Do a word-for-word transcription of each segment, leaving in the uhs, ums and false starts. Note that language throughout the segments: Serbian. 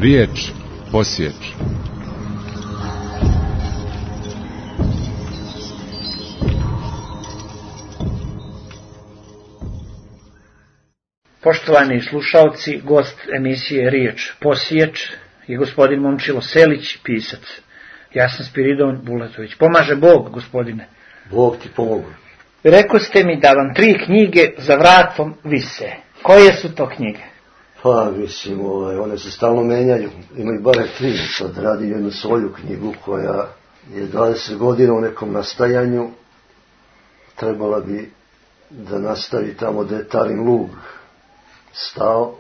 Riječ posjeći. Poštovani slušalci, gost emisije Riječ posjeći je gospodin Momčilo Selić, pisac. Ja sam Spiridon Bulatović. Pomaže Bog, gospodine. Bog ti pomogu. Rekao ste mi da vam tri knjige za vratom vise. Koje su to knjige? Pa, mislim, ovaj, one se stalno menjaju. Ima i bare tri. Sad radim jednu svoju knjigu koja je dvadeset godina u nekom nastajanju. Trebala bi da nastavi tamo gde je Tarin lug stao.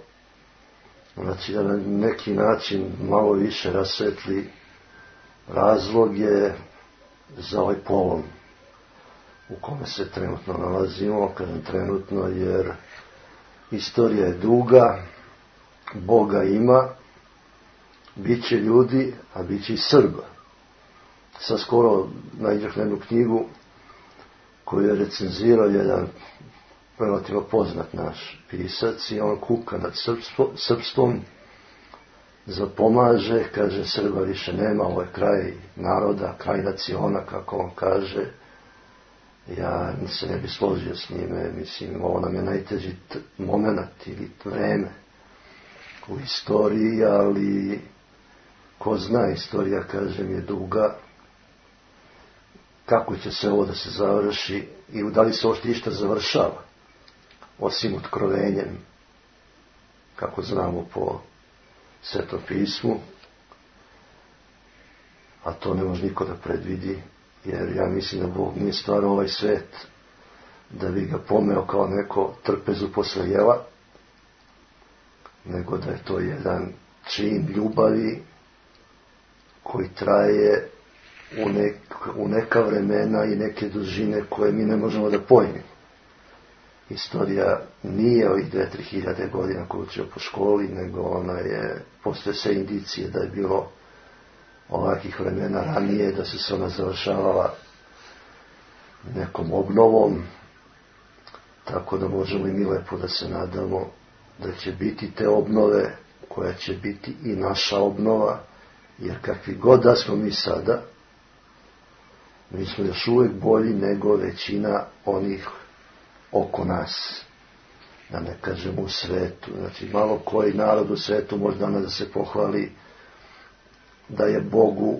Znači da na neki način malo više rasvetli razloge za ovaj polom u kome se trenutno nalazimo. Kažem trenutno jer istorija je duga, Boga ima, bit će ljudi, a bit će i Srba. Sad skoro naiđah na jednu knjigu koju je recenzirao jedan relativno poznat naš pisac i on kuka nad srpstvo, srpstvom, zapomaže, kaže Srba više nema, ovo je kraj naroda, kraj naciona, kako on kaže. Ja se ne bi složio s njime, mislim, ovo nam je najteži t- moment ili vreme u istoriji, ali ko zna, istorija, kažem, je duga. Kako će se ovo da se završi i da li se ovo išta završava, osim otkrovenjem, kako znamo po Svetom pismu, a to ne može niko da predvidi, jer ja mislim da Bog nije stvarao ovaj svet da bi ga pomeo kao neko trpezu posle jela, nego da je to jedan čin ljubavi koji traje u, nek, u neka vremena i neke dužine koje mi ne možemo da pojmimo. Istorija nije ovih dve, tri hiljade godina koju učio po školi, nego ona je, postoje sve indicije da je bilo ovakvih vremena ranije, da se se ona završavala nekom obnovom, tako da možemo i mi lepo da se nadamo da će biti te obnove, koja će biti i naša obnova, jer kakvi god da smo mi sada, mi smo još uvijek bolji nego većina onih oko nas, da ne kažem u svetu. Znači malo koji narod u svetu može danas da se pohvali da je Bogu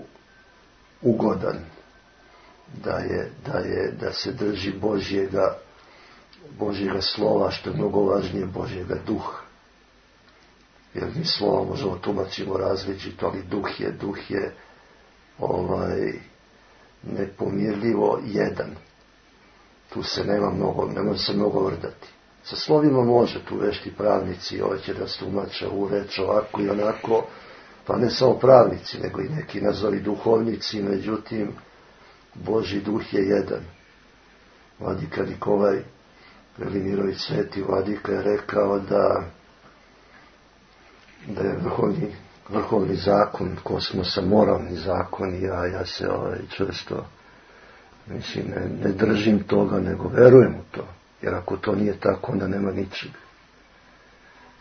ugodan, da je, da je, da se drži Božjega, Božjega slova, što je mnogo važnije, Božjega duha. Jer mi slova možemo tumačimo različito, ali duh je, duh je ovaj, nepomirljivo jedan. Tu se nema mnogo, ne može se mnogo vrdati. Sa slovima može, tu vešti pravnici, ovaj će da stumače u reč ovako i onako, pa ne samo pravnici, nego i neki nazovi duhovnici, međutim, Božji duh je jedan. Vladika Nikolaj Velimirović, sveti vladika, je rekao da, da je vrhovni, vrhovni zakon kosmosa, moralni zakon, i ja, ja se ovaj, često, mislim, ne, ne držim toga, nego verujem u to. Jer ako to nije tako, onda nema ničeg.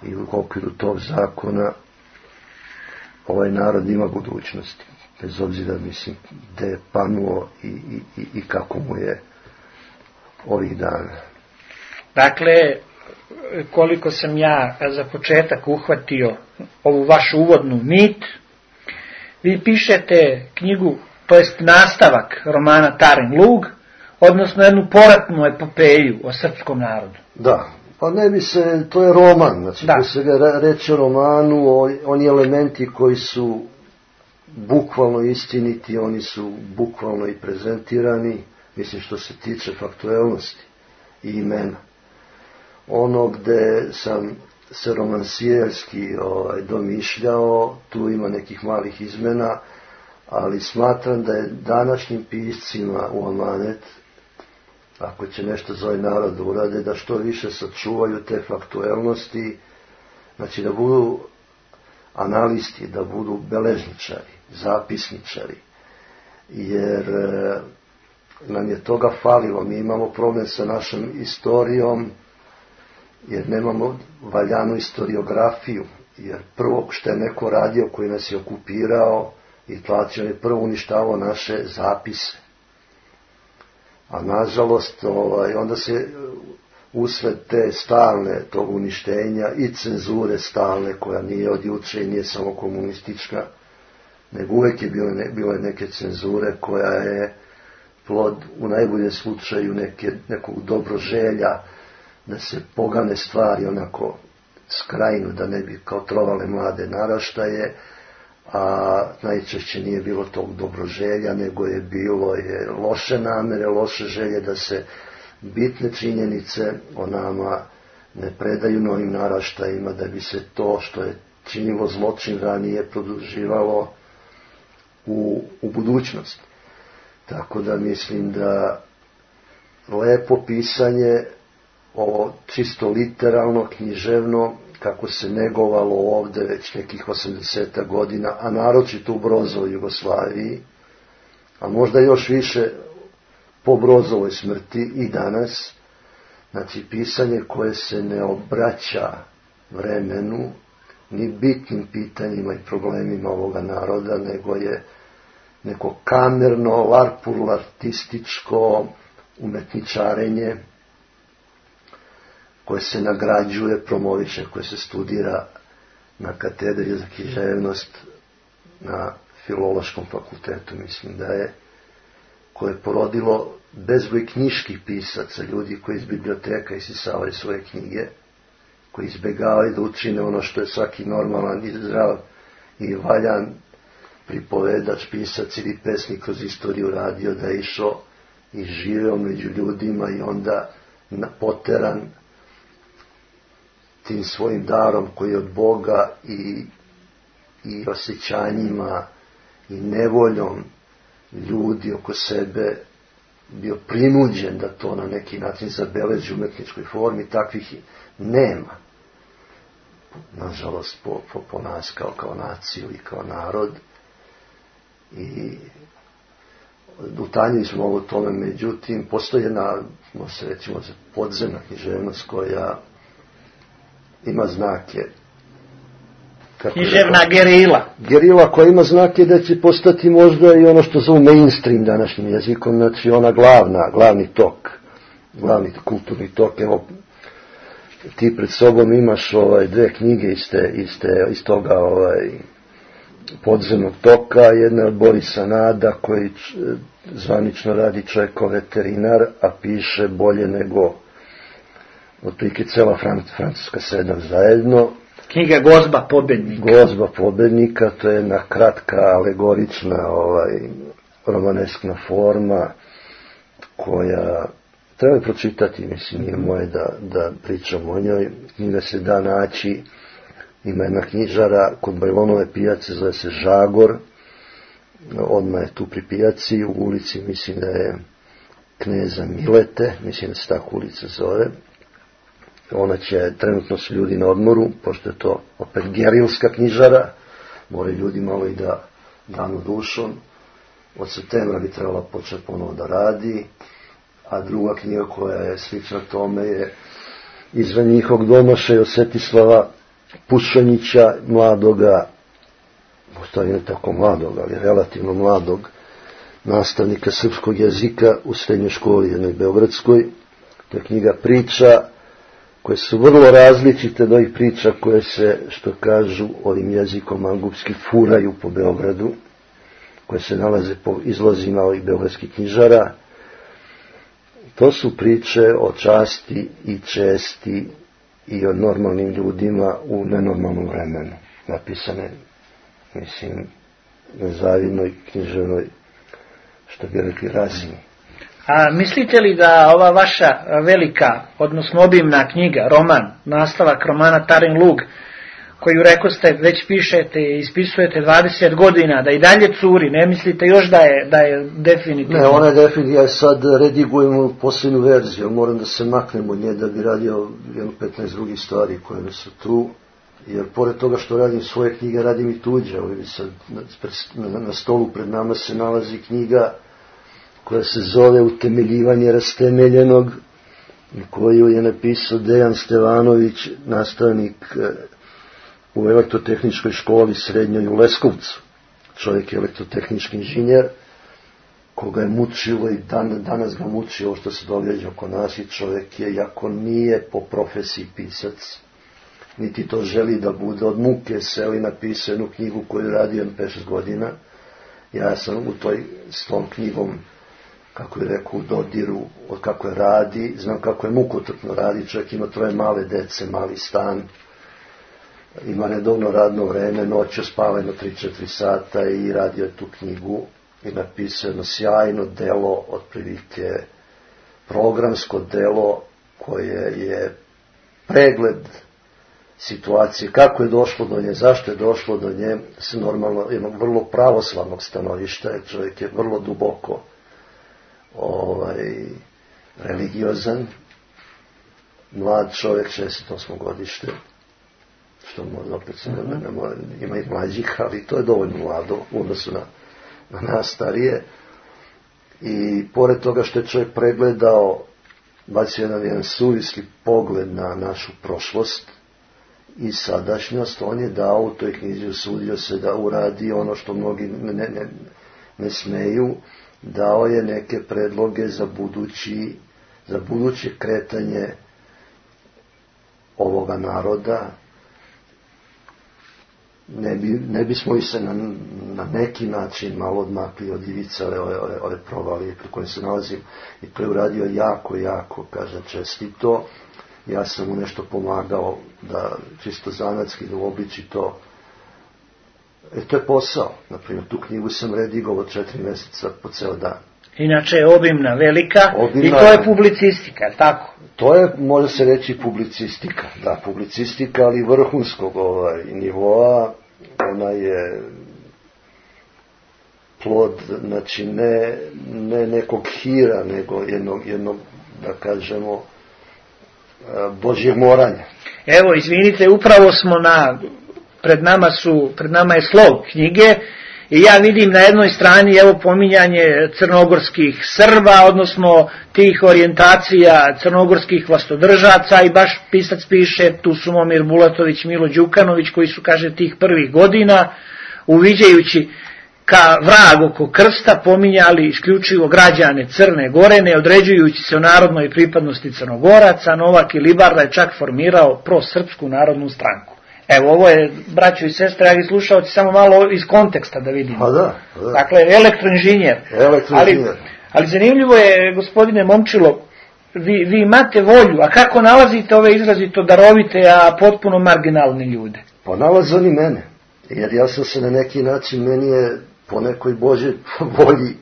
I u okviru tog zakona ovaj narod ima budućnosti. Bez obzira, mislim, gde je panuo i, i, i, i kako mu je ovih dana. Dakle, koliko sam ja za početak uhvatio ovu vašu uvodnu nit, vi pišete knjigu, to jest nastavak romana Tarin lug, odnosno jednu poratnu epopeju o srpskom narodu. Da, pa ne bi se, to je roman, znači da se ga reče o romanu, o, oni elementi koji su bukvalno istiniti, oni su bukvalno i prezentirani, mislim što se tiče faktuelnosti i imena. Ono gde sam se romansijerski ovaj, domišljao, tu ima nekih malih izmena, ali smatram da je današnjim piscima u amanet, ako će nešto za ovaj narod urade, da što više sačuvaju te faktuelnosti, znači da budu analisti, da budu beležničari, zapisničari, jer e, nam je toga falilo. Mi imamo problem sa našom istorijom, jer nemamo valjanu istoriografiju, jer prvo što je neko radio koji nas je okupirao i tlačio je prvo uništavao naše zapise. A nažalost, ovaj, onda se usred te stalne tog uništenja i cenzure stalne, koja nije od juče i nije samo komunistička, nego uvek je bilo, ne, bilo neke cenzure koja je plod u najboljem slučaju neke, nekog dobroželja da se pogane stvari onako skrajnu, da ne bi kao trovale mlade naraštaje, a najčešće nije bilo tog dobroželja, nego je bilo je loše namere, loše želje da se bitne činjenice o nama ne predaju novim naraštajima, da bi se to što je činilo zločin ranije produživalo u, u budućnost. Tako da mislim da lepo pisanje o čisto literalno, književno, kako se negovalo ovde već nekih osamdeset godina, a naročito u Brozovoj Jugoslaviji, a možda još više po Brozovoj smrti i danas, znači pisanje koje se ne obraća vremenu, ni bitnim pitanjima i problemima ovoga naroda, nego je neko kamerno, larpurlartističko umetničarenje koje se nagrađuje, promoviše, koje se studira na katedri za književnost na Filološkom fakultetu, mislim da je, koje je porodilo bezbroj knjiških pisaca, ljudi koji iz biblioteka isisavaju svoje knjige, koji izbegavaju da učine ono što je svaki normalan i zdrav i valjan pripovedač, pisac ili pesnik kroz istoriju radio, da je išao i živeo među ljudima i onda poteran tim svojim darom koji je od Boga i, i osjećanjima i nevoljom ljudi oko sebe bio prinuđen da to na neki način zabeleži u umetničkoj formi, takvih nema. Nažalost, po, po, po nas kao, kao naciju i kao narod. I utanjili smo ovo tome, međutim, postoji jedna, možemo se recimo, podzemna književnost koja ima znake. Književna gerila. Gerila koja ima znake da će postati možda i ono što zovu mainstream današnjim jezikom, znači ona glavna, glavni tok, glavni kulturni tok. Evo, ti pred sobom imaš ovaj, dve knjige iz, te, iz, te, iz toga ovaj, podzemnog toka. Jedna od Borisa Nada, koji zvanično radi čovjeko veterinar, a piše bolje nego otprilike cela Francuska sedam zajedno. Knjiga Gozba pobednika. Gozba pobednika, to je jedna kratka, alegorična, ovaj, romaneskna forma, koja treba pročitati, mislim, nije moje da, da pričam o njoj. Knjiga se da naći, ima jedna knjižara kod Bajlonove pijace, zove se Žagor, odmah je tu pri pijaci, u ulici, mislim da je Kneza Milete, mislim da se tako ulica zove. Ona će, trenutno su ljudi na odmoru, pošto je to opet gerilska knjižara, moraju ljudi malo i da danu dušom. Od septembra bi trebala početi ponovo da radi, a druga knjiga koja je slična tome je Izvan njihovog domašaja Svetislava Pušanića, mladoga, postoji ne tako mladog, ali relativno mladog, nastavnika srpskog jezika u srednjoj školi jednoj beogradskoj. To je knjiga priča koje su vrlo različite od ovih priča koje se, što kažu ovim jezikom mangupski, furaju po Beogradu, koje se nalaze po izlozima ovih beogradskih knjižara. To su priče o časti i česti i o normalnim ljudima u nenormalnom vremenu, napisane, mislim, na zavidnoj književnoj, što bi rekli, razini. A mislite li da ova vaša velika, odnosno obimna knjiga, roman, nastavak romana Tarin Lug, koju rekoste već pišete i ispisujete dvadeset godina, da i dalje curi, ne mislite još da je, da je definitivno? Ne, ona je definitivno, ja sad redigujem posljednju verziju, moram da se maknem od nje da bi radio jedno petnaest drugih stvari koje su tu, jer pored toga što radim svoje knjige, radim i tuđe. Ovdje sad na, na, na stolu pred nama se nalazi knjiga koja se zove Utemeljivanje rastemeljenog, koju je napisao Dejan Stevanović, nastavnik u elektrotehničkoj školi srednjoj u Leskovcu. Čovjek je elektrotehnički inženjer, koga je mučilo i dan, danas ga muči ovo što se događa oko nas, i čovjek je, jako nije po profesiji pisac, niti to želi da bude, od muke seo i napisao jednu knjigu koju je radio pet šest godina. Ja sam u toj, s tom knjigom, kako je rekao, u dodiru, od kako je radi, znam kako je mukotrpno radi, čovjek ima troje male dece, mali stan, ima redovno radno vreme, noću spava jedno tri četiri sata i radio je tu knjigu i napisao jedno sjajno delo, otprilike programsko delo koje je pregled situacije, kako je došlo do nje, zašto je došlo do nje, s normalno jednog vrlo pravoslavnog stanovišta, jer čovjek je vrlo duboko ovaj, religiozan, mlad čovjek, šezdeset osmo godište, što možda opet se ne, ne, ima i mlađih, ali to je dovoljno mlado u odnosu na, na nas starije. I pored toga što je čovjek pregledao, bacio jedan, jedan suvisli pogled na našu prošlost i sadašnjost, on je dao u toj knjizi, usudio se da uradi ono što mnogi ne, ne, ne smeju, dao je neke predloge za budući, za buduće kretanje ovoga naroda. Ne, bi, ne bismo i se na, na neki način malo odmakli od ivice ove, ove, ove provalije pri kojoj se nalazim, i to je uradio jako, jako, kažem, čestito. Ja sam mu nešto pomagao da čisto zanatski da uobliči to. E, to je posao. Naprimjer, tu knjigu sam redigao od četiri mjeseca po ceo dan. Inače je obimna, velika, obimna, i to je publicistika, tako? To je, može se reći, publicistika. Da, publicistika, ali vrhunskog ovaj, nivoa. Ona je plod, znači, ne, ne nekog hira, nego jednog, jednog, da kažemo, Božjeg moranja. Evo, izvinite, upravo smo na, pred nama su, pred nama je slov knjige, i ja vidim na jednoj strani, evo, pominjanje crnogorskih Srba, odnosno tih orijentacija crnogorskih vlastodržaca, i baš pisac piše, tu su Momir Bulatović, Milo Đukanović, koji su, kaže, tih prvih godina, uviđajući ka vrag oko krsta, pominjali isključivo građane Crne Gore, ne određujući se o narodnoj pripadnosti Crnogoraca. Novak Ilibarda je čak formirao prosrpsku narodnu stranku. Evo, ovo je, braćo i sestre, dragi slušalci, samo malo iz konteksta da vidimo. Pa da, pa da. Dakle, elektroinženjer. Elektroinženjer. Ali, ali zanimljivo je, gospodine Momčilo, vi, vi imate volju, a kako nalazite ove izrazito darovite, a potpuno marginalne ljude? Pa nalaze oni mene, jer ja sam se na neki način, meni je po nekoj Božjoj volji,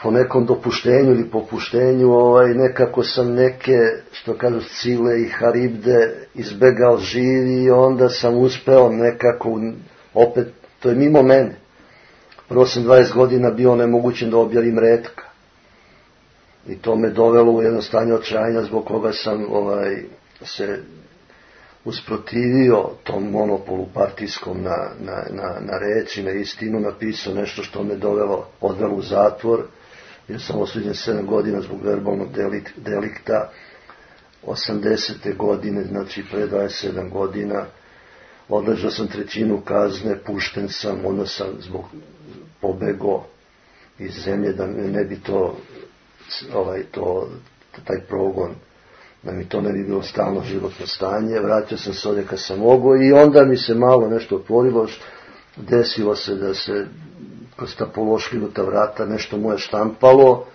po nekom dopuštenju ili popuštenju, ovaj, nekako sam neke, što kažu, Cile i Haribde izbegao živi, i onda sam uspeo nekako, opet, to je mimo mene. Prvo sam dvadeset godina bio nemogućen da objavim retka. I to me dovelo u jedno stanje očajanja, zbog koga sam ovaj, se usprotivio tom monopolu partijskom na, na, na, na reči, na istinu, napisao nešto što me dovelo, odvelo u zatvor. Ja sam osuđen sedam godina zbog verbalnog delikta, osamdesete godine, znači pre dvadeset sedam godina, odležao sam trećinu kazne, pušten sam, onda sam zbog pobego iz zemlje, da ne bi to, ovaj, to, taj progon, da mi to ne bi bilo stalno životno stanje. Vratio sam se ovdje kad sam mogao, i onda mi se malo nešto otvorilo, desilo se da se kroz ta pološkinuta vrata nešto moje štampalo,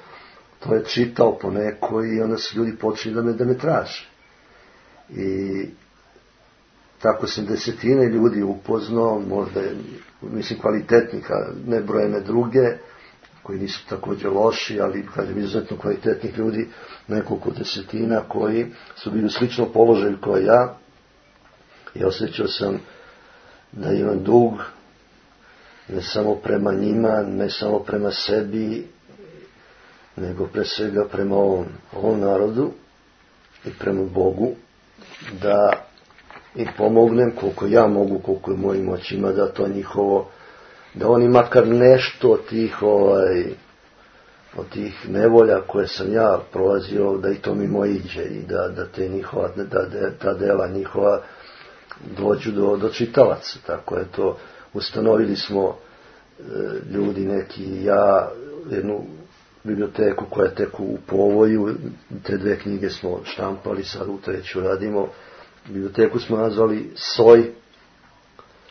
to je čitao po neko, i onda su ljudi počeli da me, da me traže. I tako sam desetine ljudi upoznao, možda, mislim, kvalitetnih, a nebrojene druge, koji nisu također loši, ali, kažem, izuzetno kvalitetnih ljudi, nekoliko desetina koji su bili u sličnom položaju kao ja, i osjećao sam da imam dug, ne samo prema njima, ne samo prema sebi, nego pre svega prema ovom, ovom narodu i prema Bogu, da im pomognem koliko ja mogu, koliko je mojim moćima, da to njihovo, da oni makar nešto od tih, ovaj, od tih nevolja koje sam ja prolazio, da i to mimo iđe, i da, da te njihova, da, da ta dela njihova dođu do, do čitalaca. Tako je to, ustanovili smo e, ljudi neki i ja jednu biblioteku koja je tek u povoju, te dve knjige smo štampali, sad u treću radimo. Biblioteku smo nazvali Soj.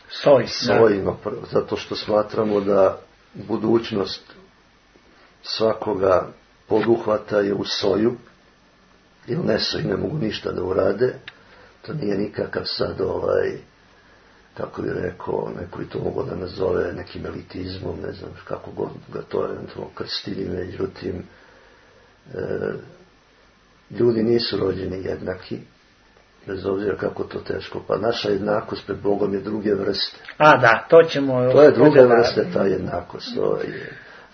Soj, Soj, no, zato što smatramo da budućnost svakoga poduhvata je u soju, jer nesoji ne mogu ništa da urade. To nije nikakav sad ovaj, kako bi rekao, neko bi to mogo da nazove nekim elitizmom, ne znam kako god ga to eventualno krstili, međutim e, ljudi nisu rođeni jednaki, bez obzira kako to teško, pa naša jednakost pred Bogom je druge vrste. A da, to ćemo... To je druge vrste ta jednakost. Ovaj,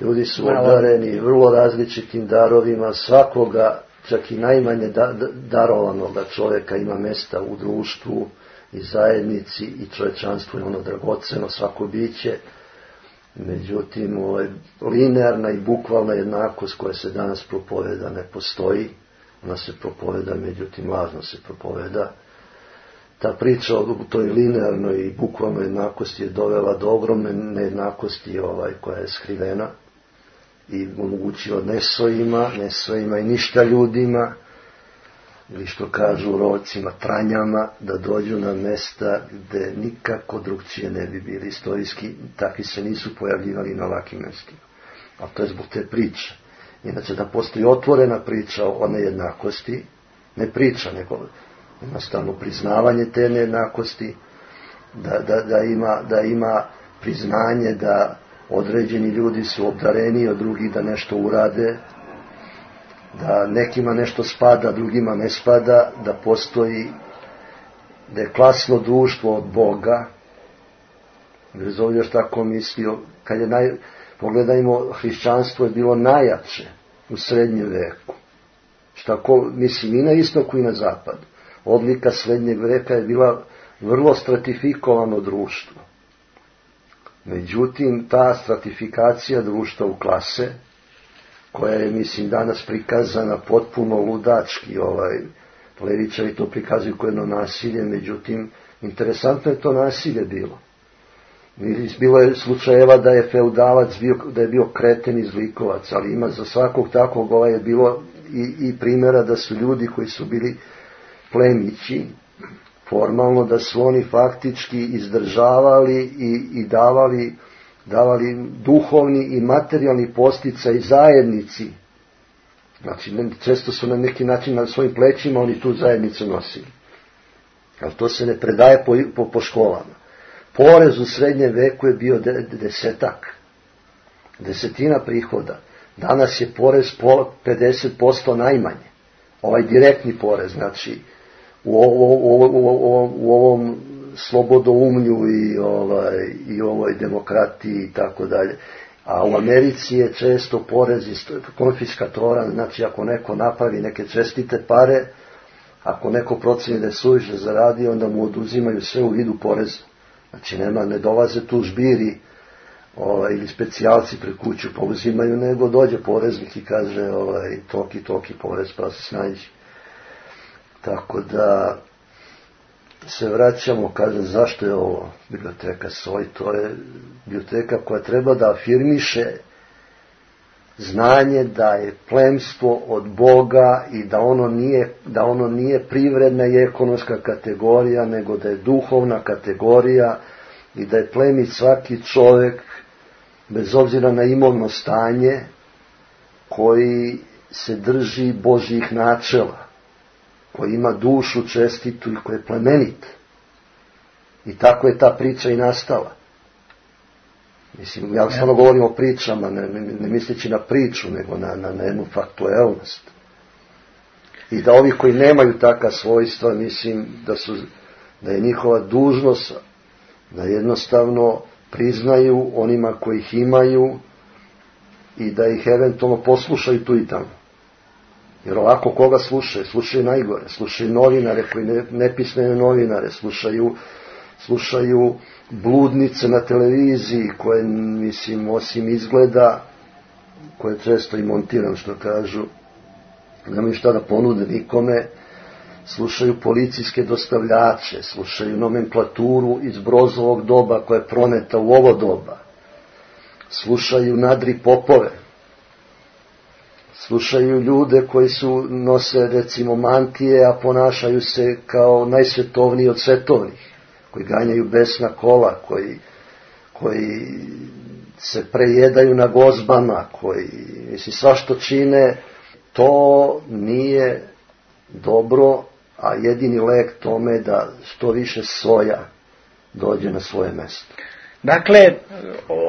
ljudi su obdareni vrlo različitim darovima, svakoga, čak i najmanje da, da, darovanog čovjeka ima mesta u društvu i zajednici i čovječanstvo je ono dragoceno, svako biće. Međutim, ovaj, linearna i bukvalna jednakost koja se danas propoveda ne postoji. Ona se propoveda, međutim, lažno se propoveda. Ta priča o toj linearnoj i bukvalnoj jednakosti je dovela do ogromne nejednakosti ovaj, koja je skrivena i omogućila nesojima, nesojima i ništa ljudima, ili što kažu u rovcima, tranjama, da dođu na mesta gde nikako drugčije ne bi bili istorijski, takvi se nisu pojavljivali na ovakvim mestima. A to je zbog te priče. Inače, da postoji otvorena priča o nejednakosti, ne priča, nego jednostavno priznavanje te nejednakosti, da, da, da, ima, da ima priznanje da određeni ljudi su obdareni od drugih da nešto urade, da nekima nešto spada, drugima ne spada, da postoji, da je klasno društvo od Boga, bez obzira šta ko mislio, kad je naj, pogledajmo, hrišćanstvo je bilo najjače u srednjem veku. Šta ko, mislim, i na istoku i na zapadu. Odlika srednjeg veka je bila vrlo stratifikovano društvo. Međutim, ta stratifikacija društva u klase, koja je, mislim, danas prikazana potpuno ludački, ovaj, levičari to prikazuju kao jedno nasilje, međutim, interesantno je to nasilje bilo. Bilo je slučajeva da je feudalac bio, da je bio kreten i zlikovac, ali ima za svakog takvog ovaj je bilo i, i primjera da su ljudi koji su bili plemići, formalno da su oni faktički izdržavali i, i davali, davali duhovni i materijalni posticaj zajednici. Znači, često su na neki način na svojim plećima oni tu zajednicu nosili. Ali to se ne predaje po, po, po školama. Porez u srednjem veku je bio desetak, desetina prihoda. Danas je porez pedeset posto najmanje. Ovaj direktni porez, znači u, ovo, u, u, u, u ovom slobodoumlju i, ovaj, i ovoj demokratiji i tako dalje. A u Americi je često porez konfiskatoran, znači ako neko napravi neke čestite pare, ako neko proceni da je suviše zaradio, onda mu oduzimaju sve u vidu poreza. Znači nema, ne dolaze tu žbiri ovaj, ili specijalci pred kuću pa uzimaju, nego dođe poreznik i kaže ovaj, toki, toki porez pa se snađi. Tako da se vraćamo, kažem, zašto je ovo biblioteka Soj? To je biblioteka koja treba da afirmiše znanje da je plemstvo od Boga i da ono nije, da ono nije privredna i ekonomska kategorija, nego da je duhovna kategorija i da je plemit svaki čovjek, bez obzira na imovno stanje, koji se drži Božjih načela, koji ima dušu čestitu i koji je plemenit. I tako je ta priča i nastala. Mislim, ja stvarno govorim o pričama, ne, ne, ne misleći na priču, nego na, na, na jednu faktuelnost. I da ovi koji nemaju taka svojstva, mislim da su, da je njihova dužnost da jednostavno priznaju onima koji ih imaju i da ih eventualno poslušaju tu i tamo. Jer ovako koga slušaju? Slušaju najgore, slušaju novinare koji ne, nepismene novinare, slušaju slušaju bludnice na televiziji koje, mislim, osim izgleda, koje često i montiram, što kažu, nemaju šta da ponude nikome, slušaju policijske dostavljače, slušaju nomenklaturu iz Brozovog doba koja je proneta u ovo doba, slušaju nadri popove, slušaju ljude koji su nose recimo mantije, a ponašaju se kao najsvetovniji od svetovnih, koji ganjaju besna kola, koji, koji se prejedaju na gozbama, koji, mislim, sva što čine, to nije dobro, a jedini lek tome je da što više soja dođe na svoje mesto. Dakle,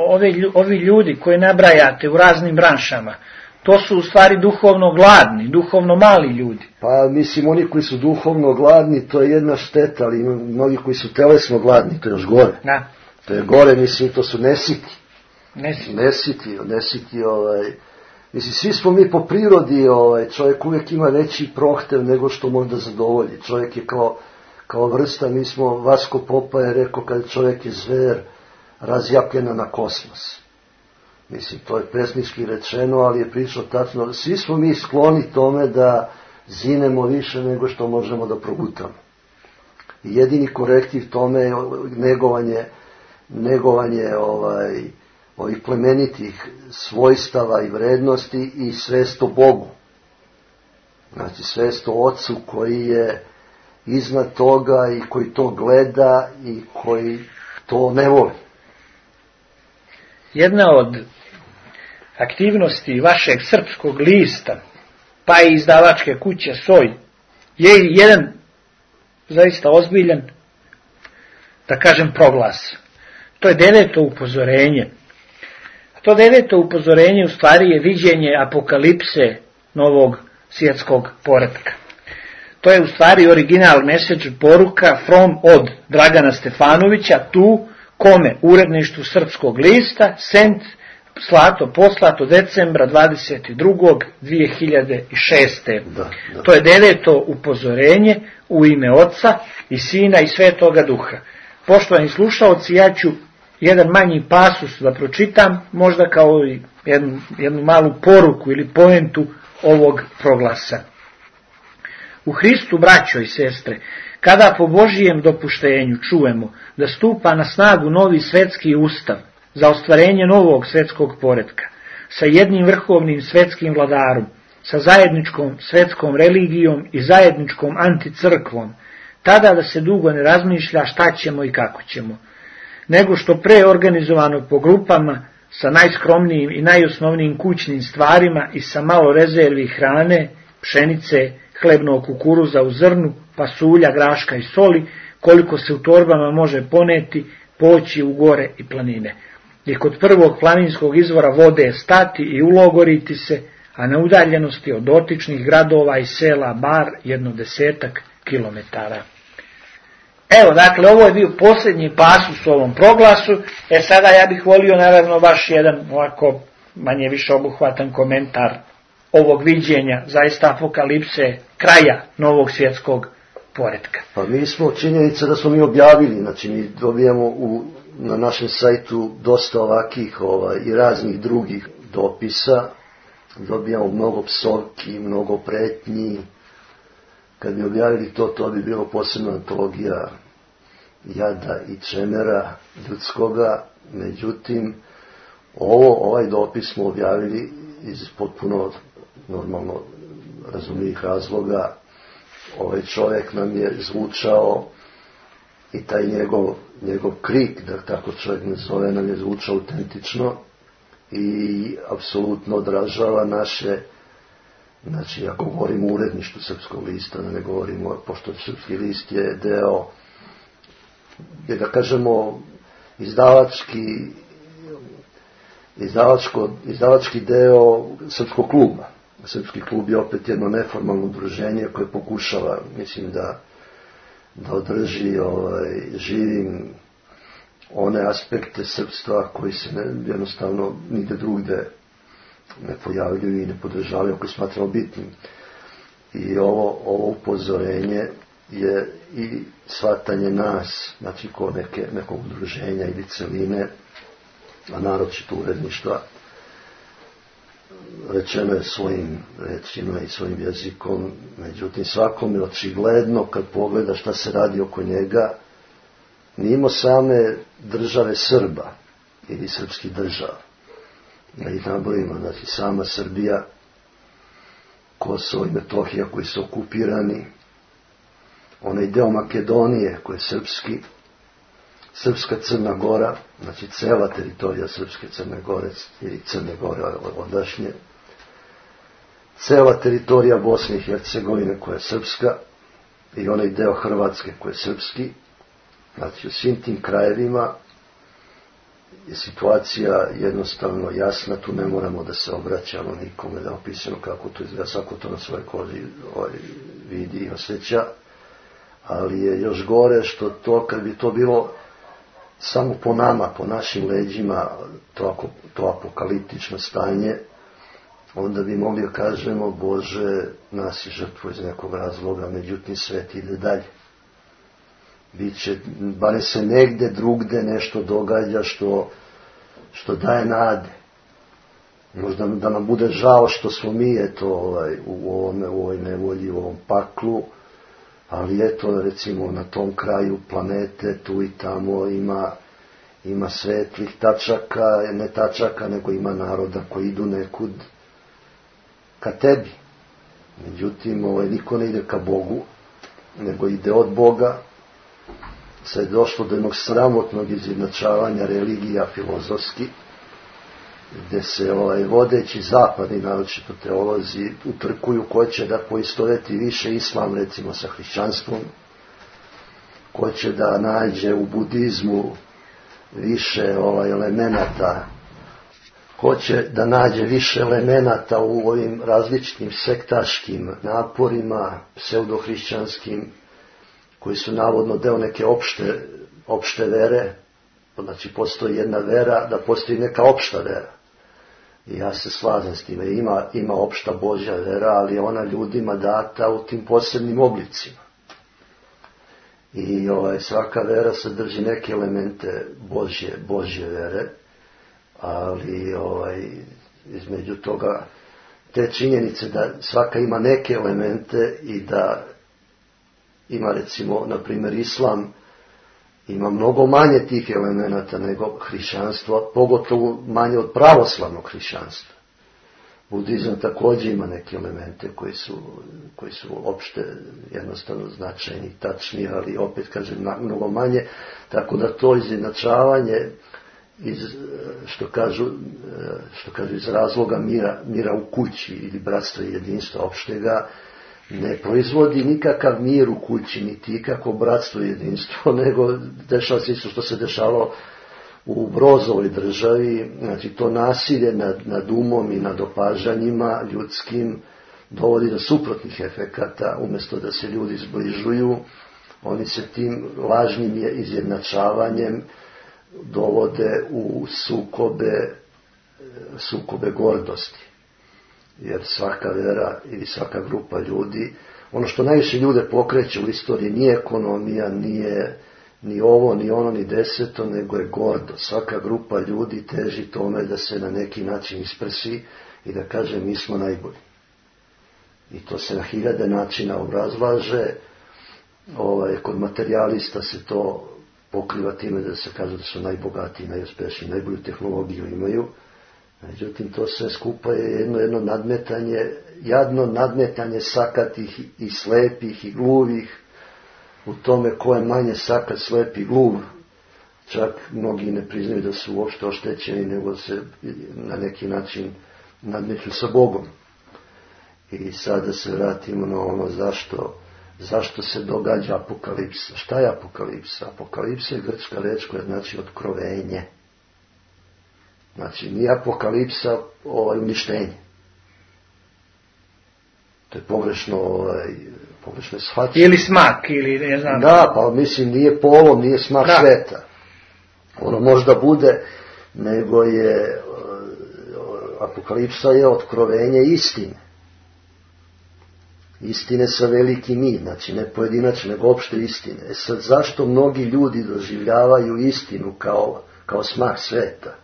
ovi, ovi ljudi koji nabrajate u raznim branšama, to su u stvari duhovno gladni, duhovno mali ljudi. Pa mislim, oni koji su duhovno gladni, to je jedna šteta, ali ima mnogi koji su telesno gladni, to je još gore. Da. To je gore, mislim, to su nesiti. Nesiti. Nesiti, nesiti, ovaj... Mislim, svi smo mi po prirodi, ovaj, čovjek uvijek ima veći prohtev nego što možda zadovolji. Čovjek je kao, kao vrsta, mi smo, Vasko Popa je rekao, kad čovjek je zver, razjapljena na kosmos. Mislim, to je pesnički rečeno, ali je pričao tačno. Svi smo mi skloni tome da zinemo više nego što možemo da progutamo. I jedini korektiv tome je negovanje, negovanje ovaj, ovih plemenitih svojstava i vrednosti i svest o Bogu. Znači, svest o Ocu koji je iznad toga i koji to gleda i koji to ne voli. Jedna od aktivnosti vašeg srpskog lista, pa i izdavačke kuće Soj, je jedan zaista ozbiljan, da kažem, proglas. To je deveto upozorenje. A to deveto upozorenje u stvari je viđenje apokalipse novog svjetskog poretka. To je u stvari original message, poruka from od Dragana Stefanovića, tu kome uredništvu srpskog lista, sent, slato, poslato decembra dvadeset drugog dvije hiljade šeste. Da, da. To je deveto upozorenje u ime Oca i Sina i Svetoga Duha. Poštovani slušaoci, ja ću jedan manji pasus da pročitam, možda kao jednu, jednu malu poruku ili poentu ovog proglasa. U Hristu, braćo i sestre, kada po Božijem dopuštenju čujemo da stupa na snagu novi svetski ustav za ostvarenje novog svetskog poretka, sa jednim vrhovnim svetskim vladarom, sa zajedničkom svetskom religijom i zajedničkom anticrkvom, tada da se dugo ne razmišlja šta ćemo i kako ćemo, nego što pre organizovano po grupama, sa najskromnijim i najosnovnijim kućnim stvarima i sa malo rezervi hrane, pšenice, hlebnog kukuruza u zrnu, pasulja, graška i soli, koliko se u torbama može poneti, poći u gore i planine. I kod prvog planinskog izvora vode stati i ulogoriti se, a na udaljenosti od dotičnih gradova i sela bar jedno desetak kilometara. Evo, dakle, ovo je bio posljednji pasus u ovom proglasu. E sada ja bih volio, naravno, baš jedan ovako manje više obuhvatan komentar ovog viđenja, zaista apokalipse, kraja novog svjetskog poretka. Pa mi smo, činjenica da smo mi objavili, znači mi dobijamo u, na našem sajtu dosta ovakih ovaj, i raznih drugih dopisa, dobijamo mnogo psovki, mnogo pretnji. Kad bi objavili to, to bi bilo posebna antologija jada i čemera ljudskoga. Međutim, ovo, ovaj dopis smo objavili iz potpuno normalno razumljivih razloga. Ovaj čovjek nam je zvučao i taj njegov, njegov krik, da tako čovjek ne zove, nam je zvučao autentično i apsolutno odražava naše. Znači, ako govorimo o uredništvu srpskog lista, da ne govorimo, pošto srpski list je deo, je da kažemo, izdavački, izdavačko, izdavački deo srpskog kluba. Srpski klub je opet jedno neformalno udruženje koje pokušava, mislim, da, da održi ovaj, živim one aspekte srpstva koji se ne, jednostavno nigde drugde ne pojavljuju i ne podržavaju ako smatramo bitnim. I ovo, ovo upozorenje je i shvatanje nas, znači ko neke, nekog udruženja ili celine, a naročito uredništva, rečeno je svojim rečima i svojim jezikom, međutim svakom je očigledno kad pogleda šta se radi oko njega, mimo same države Srba ili srpskih država, da ih nabrojimo, znači sama Srbija, Kosovo i Metohija koji su okupirani, onaj deo Makedonije koji je srpski, Srpska Crna Gora, znači cela teritorija Srpske Crne Gore ili Crne Gore odašnje, cela teritorija Bosne i Hercegovine koja je srpska i onaj deo Hrvatske koji je srpski. Znači u svim tim krajevima je situacija jednostavno jasna, tu ne moramo da se obraćamo nikome, da opisano kako to izgleda, svako to na svojoj koži vidi i osjeća, ali je još gore što to, kad bi to bilo samo po nama, po našim leđima, to, to apokaliptično stanje, onda bi mogli da kažemo, Bože, nas je žrtvo iz nekog razloga, međutim svet ide dalje. Biće, bare se negde drugde nešto događa što, što daje nade. Možda da nam bude žao što smo mi eto, ovaj, u, ovome, u ovoj nevolji, u ovom paklu, ali eto, recimo, na tom kraju planete, tu i tamo ima, ima svetlih tačaka, ne tačaka, nego ima naroda koji idu nekud ka tebi. Međutim, ovaj, niko ne ide ka Bogu, nego ide od Boga. Sad je došlo do jednog sramotnog izjednačavanja religija filozofski, gde se ovaj, vodeći zapadni, naročito teolozi, utrkuju ko će da poistoveti više islam, recimo, sa hrišćanstvom, ko će da nađe u budizmu više ovaj, elemenata, ko će da nađe više elemenata u ovim različitim sektaškim naporima, pseudohrišćanskim, koji su navodno deo neke opšte, opšte vere, znači postoji jedna vera, da postoji neka opšta vera. I ja se slažem s time, ima, ima opšta Božja vera, ali je ona ljudima data u tim posebnim oblicima. I ovaj, svaka vera sadrži neke elemente Božje, Božje vere, ali ovaj, između toga te činjenice da svaka ima neke elemente i da ima, recimo, na primjer, islam ima mnogo manje tih elemenata nego hrišćanstvo, pogotovo manje od pravoslavnog hrišćanstva. Budizam također ima neke elemente koji su, koji su opšte jednostavno značajni, tačni, ali opet, kažem, mnogo manje, tako da to izjednačavanje iz, što kažu, što kažu iz razloga mira, mira u kući ili bratstva i jedinstva opštega, ne proizvodi nikakav mir u kući, niti ikako bratstvo i jedinstvo, nego dešava se isto što se dešavalo u Brozovoj državi, znači to nasilje nad, nad umom i nad opažanjima ljudskim dovodi do suprotnih efekata, umjesto da se ljudi zbližuju, oni se tim lažnim izjednačavanjem dovode u sukobe, sukobe gordosti. Jer svaka vera ili svaka grupa ljudi, ono što najviše ljude pokreće u istoriji nije ekonomija, nije ni ovo, ni ono, ni deseto, nego je gordo. Svaka grupa ljudi teži tome da se na neki način isprsi i da kaže mi smo najbolji. I to se na hiljade načina obrazlaže. Ovaj, kod materijalista se to pokriva time da se kaže da su najbogatiji, najuspešniji, najbolju tehnologiju imaju. Međutim, to sve skupa je jedno, jedno nadmetanje, jadno nadmetanje sakatih i slepih i gluvih u tome ko je manje sakat, slep i gluv. Čak mnogi ne priznaju da su uopšte oštećeni, nego se na neki način nadmeću sa Bogom. I sada se vratimo na ono zašto, zašto se događa apokalipsa. Šta je apokalipsa? Apokalipsa je grčka reč koja znači otkrovenje. Znači, nije apokalipsa ovaj, uništenje. To je pogrešno, ovaj, pogrešno shvaćanje. Ili smak, ili ne znam. Da, pa mislim, nije polom, nije smak da. Sveta. Ono možda bude, nego je, apokalipsa je otkrovenje istine. Istine sa velikim i, znači ne pojedinačne, nego opšte istine. E sad, zašto mnogi ljudi doživljavaju istinu kao, kao smak sveta?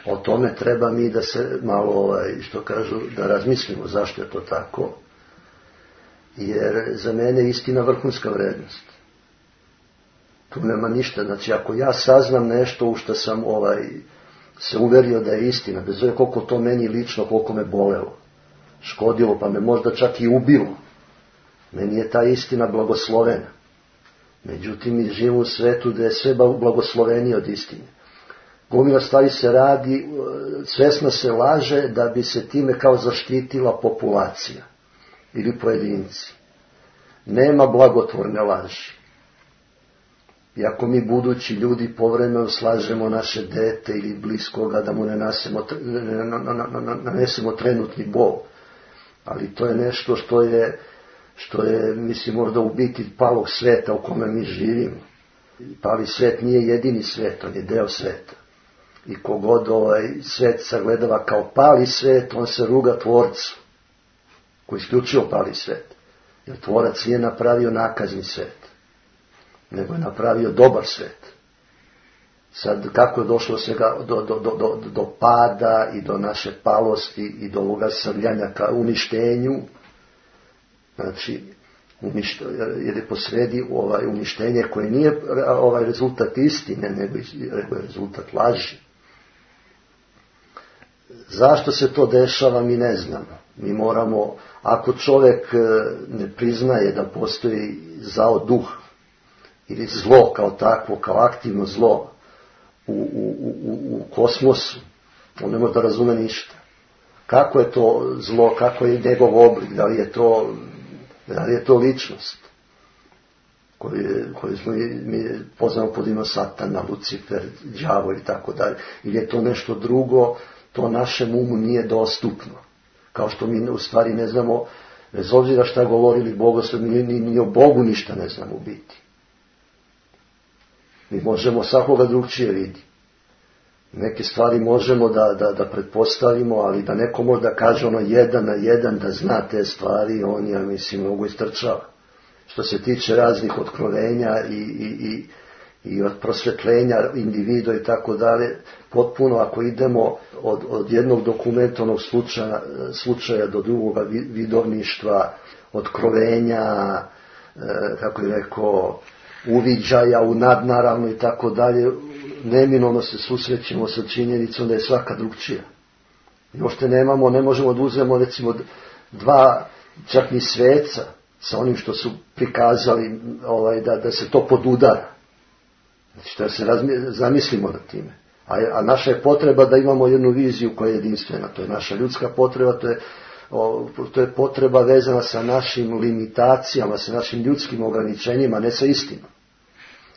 O tome treba mi da se malo, ovaj, što kažu, da razmislimo zašto je to tako. Jer za mene je istina vrhunska vrednost. Tu nema ništa. Znači, ako ja saznam nešto u što sam ovaj, se uverio da je istina, bez obzira koliko to meni lično, koliko me bolelo, škodilo, pa me možda čak i ubilo, meni je ta istina blagoslovena. Međutim, mi živimo u svetu da je sve blagoslovenije od istine. Gomila stvari se radi, svesno se laže da bi se time kao zaštitila populacija ili pojedinci. Nema blagotvorne laži. I ako mi budući ljudi povremeno slažemo naše dete ili bliskoga da mu ne nanesemo, nanesemo trenutni bol, ali to je nešto što je, što je, mislim, možda u biti palog sveta u kome mi živimo. Pali svet nije jedini svet, on je deo sveta. I kogod ovaj svet sagledava kao pali svet, on se ruga tvorcu, koji isključivo pali svet. Jer tvorac nije napravio nakazni svet, nego je napravio dobar svet. Sad, kako je došlo svega do, do, do, do, do pada i do naše palosti i do ovoga srljanja ka uništenju, znači, uništ, jer je posredi ovaj uništenje koje nije ovaj rezultat istine, nego je rezultat laži. Zašto se to dešava, mi ne znamo. Mi moramo, ako čovjek ne priznaje da postoji zao duh ili zlo kao takvo, kao aktivno zlo u, u, u, u kosmosu, on ne može da razume ništa. Kako je to zlo, kako je njegov oblik, da li je to, da li je to ličnost koju, koju smo mi poznamo pod imenom Satana, Lucifer, đavo i tako dalje, ili je to nešto drugo, to našem umu nije dostupno. Kao što mi u stvari ne znamo, bez obzira šta govorili bogoslovi, ni, ni, ni o Bogu ništa ne znamo u biti. Mi možemo svakoga drugčije vidi. Neke stvari možemo da, da, da pretpostavimo, ali da neko može da kaže ono jedan na jedan, da zna te stvari, on, ja mislim, mnogo istrčava. Što se tiče raznih otkrovenja i, i, i, i od prosvetljenja individua i tako dalje, potpuno ako idemo od, od jednog dokumentovanog slučaja, slučaja do drugog vidovništva, otkrovenja, e, kako je rekao, uviđaja u nadnaravno i tako dalje, neminovno se susrećemo sa činjenicom da je svaka drugčija. I ošte nemamo, ne možemo da uzmemo recimo dva, čak ni sveca sa onim što su prikazali, ovaj, da, da se to podudara. Znači da se razmi, zamislimo nad time. A, a naša je potreba da imamo jednu viziju koja je jedinstvena. To je naša ljudska potreba, to je, o, to je potreba vezana sa našim limitacijama, sa našim ljudskim ograničenjima, ne sa istinom.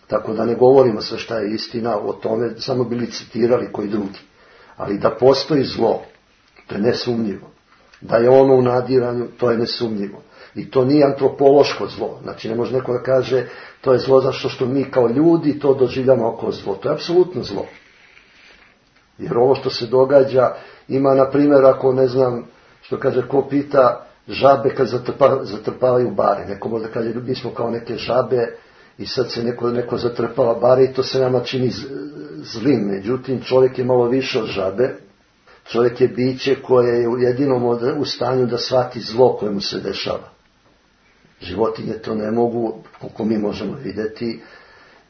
Tako da ne govorimo sve šta je istina, o tome samo bili citirali koji drugi. Ali da postoji zlo, to je nesumnjivo. Da je ono u nadiranju, to je nesumnjivo. I to nije antropološko zlo. Znači ne može neko da kaže to je zlo zašto što mi kao ljudi to doživljamo kao zlo. To je apsolutno zlo. Jer ovo što se događa ima, na primjer, ako ne znam, što kaže, ko pita žabe kad zatrpa, zatrpavaju bare. Neko može da kaže, mi smo kao neke žabe i sad se neko, neko zatrpava bare i to se nama čini zlim. Međutim, čovjek je malo više od žabe. Čovjek je biće koje je jedinom u stanju da shvati zlo koje mu se dešava. Životinje to ne mogu, koliko mi možemo vidjeti,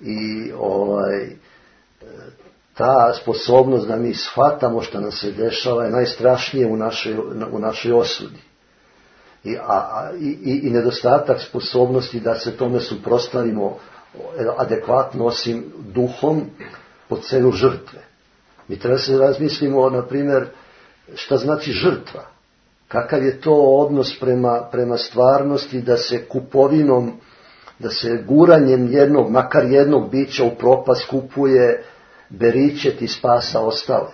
i ovaj, ta sposobnost da mi shvatamo što nam se dešava je najstrašnije u našoj, u našoj osudi. I, a, i, i nedostatak sposobnosti da se tome suprotstavimo adekvatno, osim duhom, po cenu žrtve. Mi treba se razmislimo, na primjer, šta znači žrtva. Kakav je to odnos prema, prema stvarnosti da se kupovinom, da se guranjem jednog, makar jednog bića u propast kupuje beričet i spasa ostale.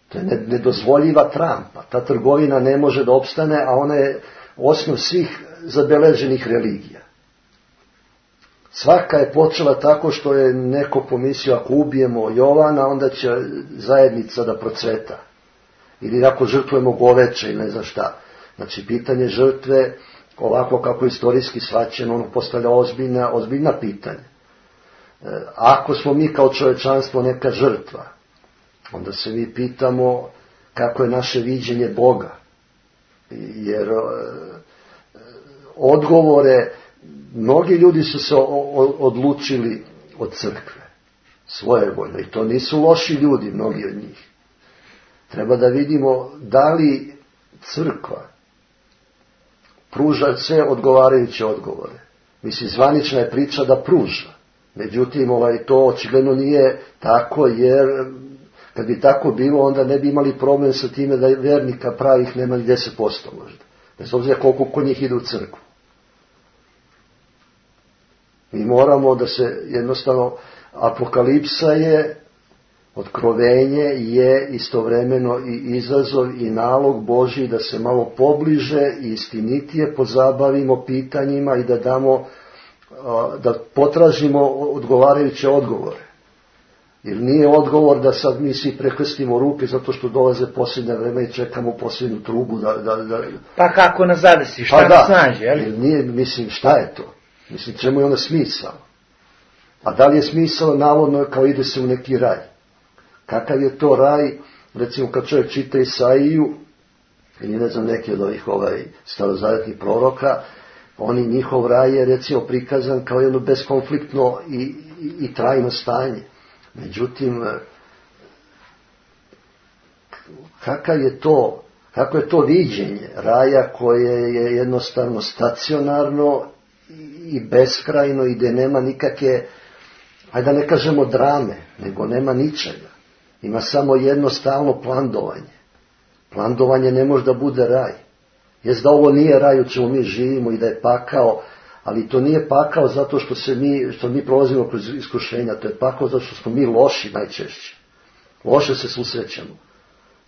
To je nedozvoljiva trampa. Ta trgovina ne može da opstane, a ona je osnov svih zabeleženih religija. Svaka je počela tako što je neko pomislio, ako ubijemo Jovana, onda će zajednica da procveta. Ili ako žrtvujemo goveče ili ne znam šta. Znači, pitanje žrtve, ovako kako je istorijski shvaćeno, ono postavlja ozbiljna, ozbiljna pitanja. Ako smo mi kao čovječanstvo neka žrtva, onda se mi pitamo kako je naše viđenje Boga. Jer odgovore, mnogi ljudi su se odlučili od crkve, svojevoljno, i to nisu loši ljudi, mnogi od njih. Treba da vidimo da li crkva pruža sve odgovarajuće odgovore. Mislim, zvanična je priča da pruža. Međutim, ovaj, to očigledno nije tako, jer kad bi tako bilo, onda ne bi imali problem sa time da vernika pravih nema ni deset posto možda. Bez obzira koliko kod njih ide u crkvu. Mi moramo da se jednostavno, apokalipsa je, otkrovenje je istovremeno i izazov i nalog Božji da se malo pobliže i istinitije pozabavimo pitanjima i da damo, da potražimo odgovarajuće odgovore. Jer nije odgovor da sad mi svi prekrstimo ruke zato što dolaze posljednje vreme i čekamo posljednju trubu da... da, da... Pa kako nas zadesi, šta pa nas da, nađe, jel? Jer nije, mislim, šta je to? Mislim, čemu je onda smisao? A da li je smisao navodno kao ide se u neki raj? Kakav je to raj, recimo kad čovjek čita Isaiju, ili ne znam neki od ovih ovaj, starozavjetnih proroka, oni njihov raj je recimo prikazan kao jedno beskonfliktno i, i, i trajno stanje. Međutim, kakav je to, kako je to viđenje raja koje je jednostavno stacionarno i beskrajno i gdje nema nikakve, ajde da ne kažemo drame, nego nema ničega. Ima samo jedno stalno plandovanje. Plandovanje ne može da bude raj. Jest da ovo nije raj u čemu mi živimo i da je pakao, ali to nije pakao zato što se mi, što mi prolazimo kroz iskušenja, to je pakao zato što smo mi loši najčešće. Loše se susrećemo.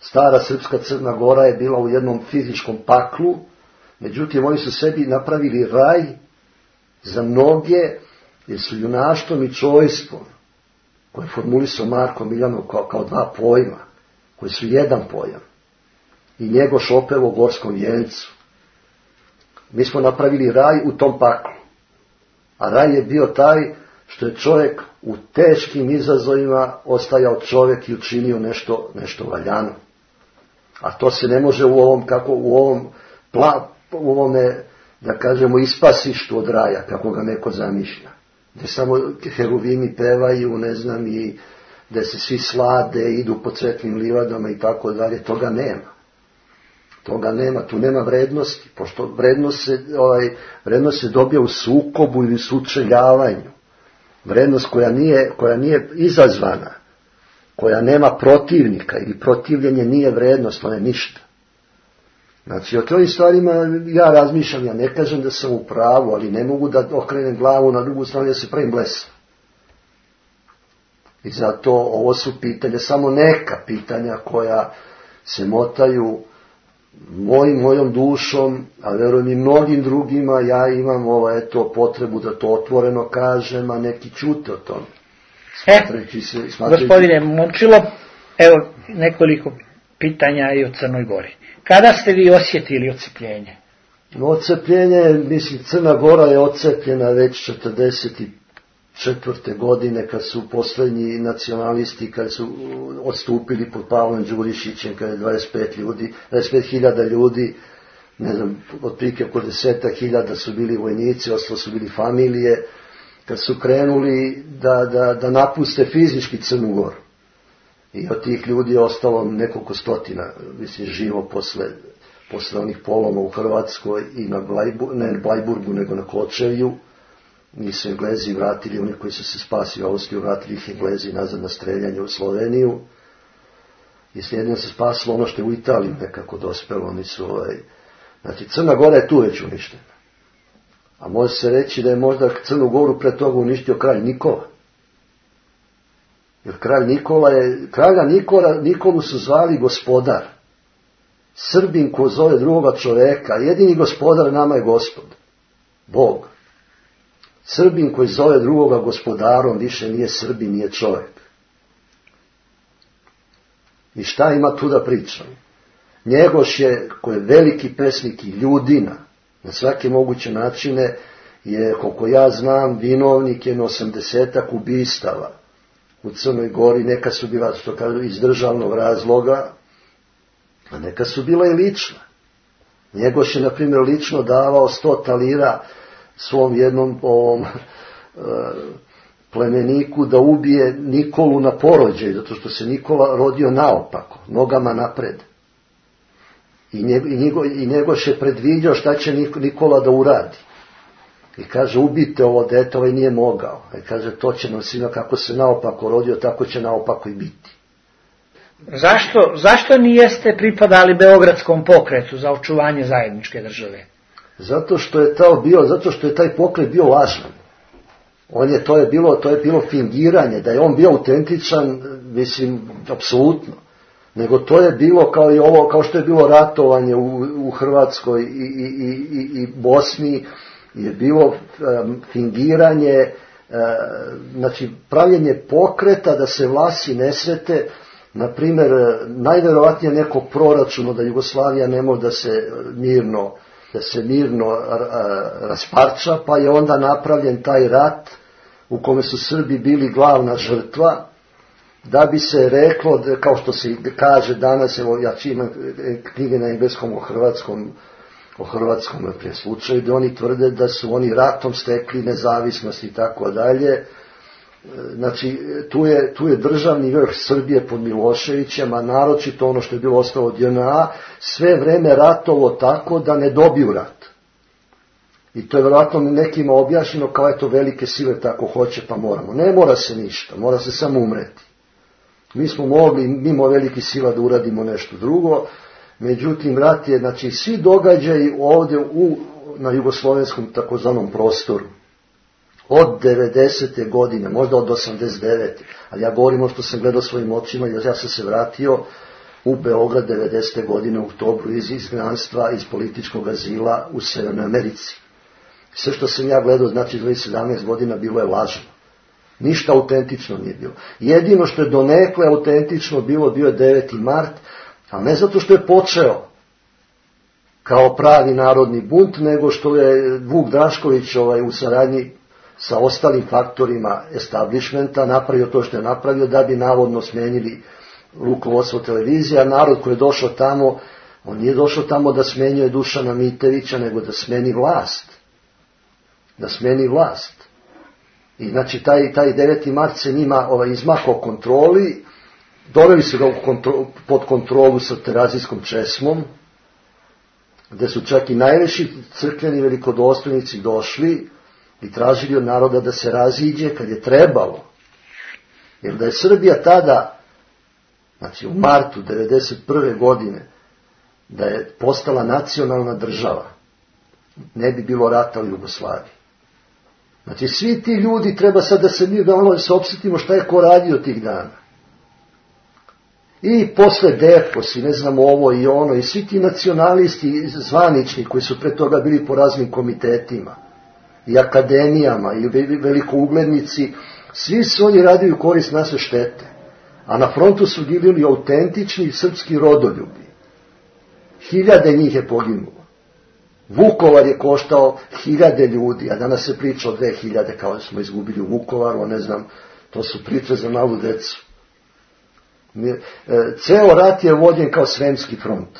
Stara srpska Crna Gora je bila u jednom fizičkom paklu, međutim oni su sebi napravili raj za mnoge, jer su junaštvom i čojstvom, koje je formulisao Marko Miljanov kao, kao dva pojma, koji su jedan pojam, i Njegoš opeo u Gorskom vijencu. Mi smo napravili raj u tom paklu. A raj je bio taj što je čovjek u teškim izazovima ostajao čovjek i učinio nešto, nešto valjano. A to se ne može u ovom, kako u ovom, pla, u ovome, da kažemo, ispasištu od raja, kako ga neko zamišlja. Gdje samo heruvimi pevaju, ne znam, i gdje se svi slade, idu po cvetnim livadama i tako dalje. Toga nema. Toga nema, tu nema vrednosti, pošto vrednost se, ovaj, vrednost se dobija u sukobu ili sučeljavanju. Vrednost koja nije, koja nije izazvana, koja nema protivnika ili protivljenje nije vrednost, ona je ništa. Znači, o ovim stvarima ja razmišljam, ja ne kažem da sam u pravu, ali ne mogu da okrenem glavu na drugu stranu, ja se pravim blesav. I zato ovo su pitanja, samo neka pitanja koja se motaju mojim, mojom dušom, a verujem i mnogim drugima. Ja imam ovo, eto, potrebu da to otvoreno kažem, a neki čute o tome. E, se, gospodine Momčilo, evo nekoliko pitanja i o Crnoj Gori. Kada ste vi osjetili odcepljenje? Odcepljenje, mislim, Crna Gora je odcepljena već četrdeset četvrte godine, kad su posljednji nacionalisti, kad su odstupili pod Pavlom Đurišićem, kad je dvadeset pet ljudi, dvadeset pet hiljada ljudi, ne znam, otprilike oko deset hiljada su bili vojnici, ostalo su bili familije, kad su krenuli da, da, da napuste fizički Crnu Goru. I od tih ljudi je ostalo nekoliko stotina, mislim, živo posle, posle onih poloma u Hrvatskoj i na Blajburgu, ne na Blajburgu, nego na Kočevju. Nisu Englezi vratili, oni koji su se spasili u Austriju, vratili ih Englezi nazad na streljanje u Sloveniju. I slijedno se spasilo ono što je u Italiji nekako dospelo, oni su, ovaj, znači Crna Gora je tu već uništena. A može se reći da je možda Crnu Goru pre toga uništio kralj Nikola. Jer kralj Nikola je, kralja Nikola, Nikolu su zvali gospodar. Srbin ko zove drugoga čoveka, jedini gospodar nama je gospod, Bog. Srbin koji zove drugoga gospodarom više nije Srbin, nije čovjek. I šta ima tu da pričam? Njegoš je, koji je veliki pesnik i ljudina, na svake moguće načine, je, koliko ja znam, vinovnik je na osamdesetak ubistava u Crnoj Gori, neka su bila, što kažu, iz državnog razloga, a neka su bila i lična. Njegoš je, na primjer, lično davao sto talira svom jednom ovom e, plemeniku da ubije Nikolu na porođaju, zato što se Nikola rodio naopako, nogama napred. I, njego, i Njegoš je predviđao šta će Nikola da uradi. I kaže, ubijte ovo dete, ovaj nije mogao. I kaže, to će nam svima, kako se naopako rodio, tako će naopako i biti. Zašto, zašto nijeste pripadali Beogradskom pokretu za očuvanje zajedničke države? Zato što je to bio, zato što je taj pokret bio lažan. On je, to je bilo, to je bilo fingiranje, da je on bio autentičan, mislim, apsolutno. Nego to je bilo kao i ovo, kao što je bilo ratovanje u, u Hrvatskoj i, i, i, i Bosni, je bilo um, fingiranje, uh, znači pravljenje pokreta da se vlasi nesrete. Na primjer, najverovatnije neko proračuno da Jugoslavija ne može da se mirno, da se mirno rasparča, pa je onda napravljen taj rat u kome su Srbi bili glavna žrtva, da bi se reklo, kao što se kaže danas, evo ja imam knjige na engleskom o hrvatskom, o hrvatskom slučaju, da oni tvrde da su oni ratom stekli nezavisnost i tako dalje. Znači, tu je, tu je državni vrh Srbije pod Miloševićem, a naročito ono što je bilo ostalo od J N A, sve vreme ratovo tako da ne dobiju rat. I to je vjerojatno nekima objašnjeno kao je to velike sile tako hoće pa moramo. Ne mora se ništa, mora se samo umreti. Mi smo mogli mimo velikih sila da uradimo nešto drugo, međutim rat je, znači svi događaji ovdje u, na jugoslovenskom takozvanom prostoru, od devedesete godine, možda od osamdeset devete ali ja govorim o što sam gledao svojim očima, jer ja sam se vratio u Beograd devedesete godine u oktobru iz izgnanstva, iz političkog azila u Severnoj Americi. Sve što sam ja gledao, znači dvadeset sedamnaest godina, bilo je lažno. Ništa autentično nije bilo. Jedino što je donekle autentično bilo, bio je deveti mart, a ne zato što je počeo kao pravi narodni bunt, nego što je Vuk Drašković ovaj, u saradnji sa ostalim faktorima establishmenta napravio to što je napravio da bi navodno smenili rukovodstvo televizije, a narod koji je došao tamo, on nije došao tamo da smenjuje Dušana Mitevića, nego da smeni vlast. Da smeni vlast. I znači taj, taj deveti mart se njima ovaj, izmakao kontroli, doveli su ga u kontro, pod kontrolu sa terazijskom česmom, gde su čak i najveći crkveni velikodostojnici došli i tražili od naroda da se raziđe kad je trebalo. Jer da je Srbija tada, znači u martu devedeset prve godine, da je postala nacionalna država, ne bi bilo rata u Jugoslaviji. Znači svi ti ljudi treba sad da se mi da ono se opsetimo šta je ko radio tih dana. I posle Defos i ne znam ovo i ono i svi ti nacionalisti zvanični koji su pre toga bili po raznim komitetima i akademijama i velikouglednici, svi su oni radili u korist naše štete. A na frontu su bili autentični srpski rodoljubi. Hiljade njih je poginulo. Vukovar je koštao hiljade ljudi, a danas se priča o dve hiljade kao da smo izgubili u Vukovaru, ne znam, to su priče za malu decu. Ceo rat je vođen kao Sremski front.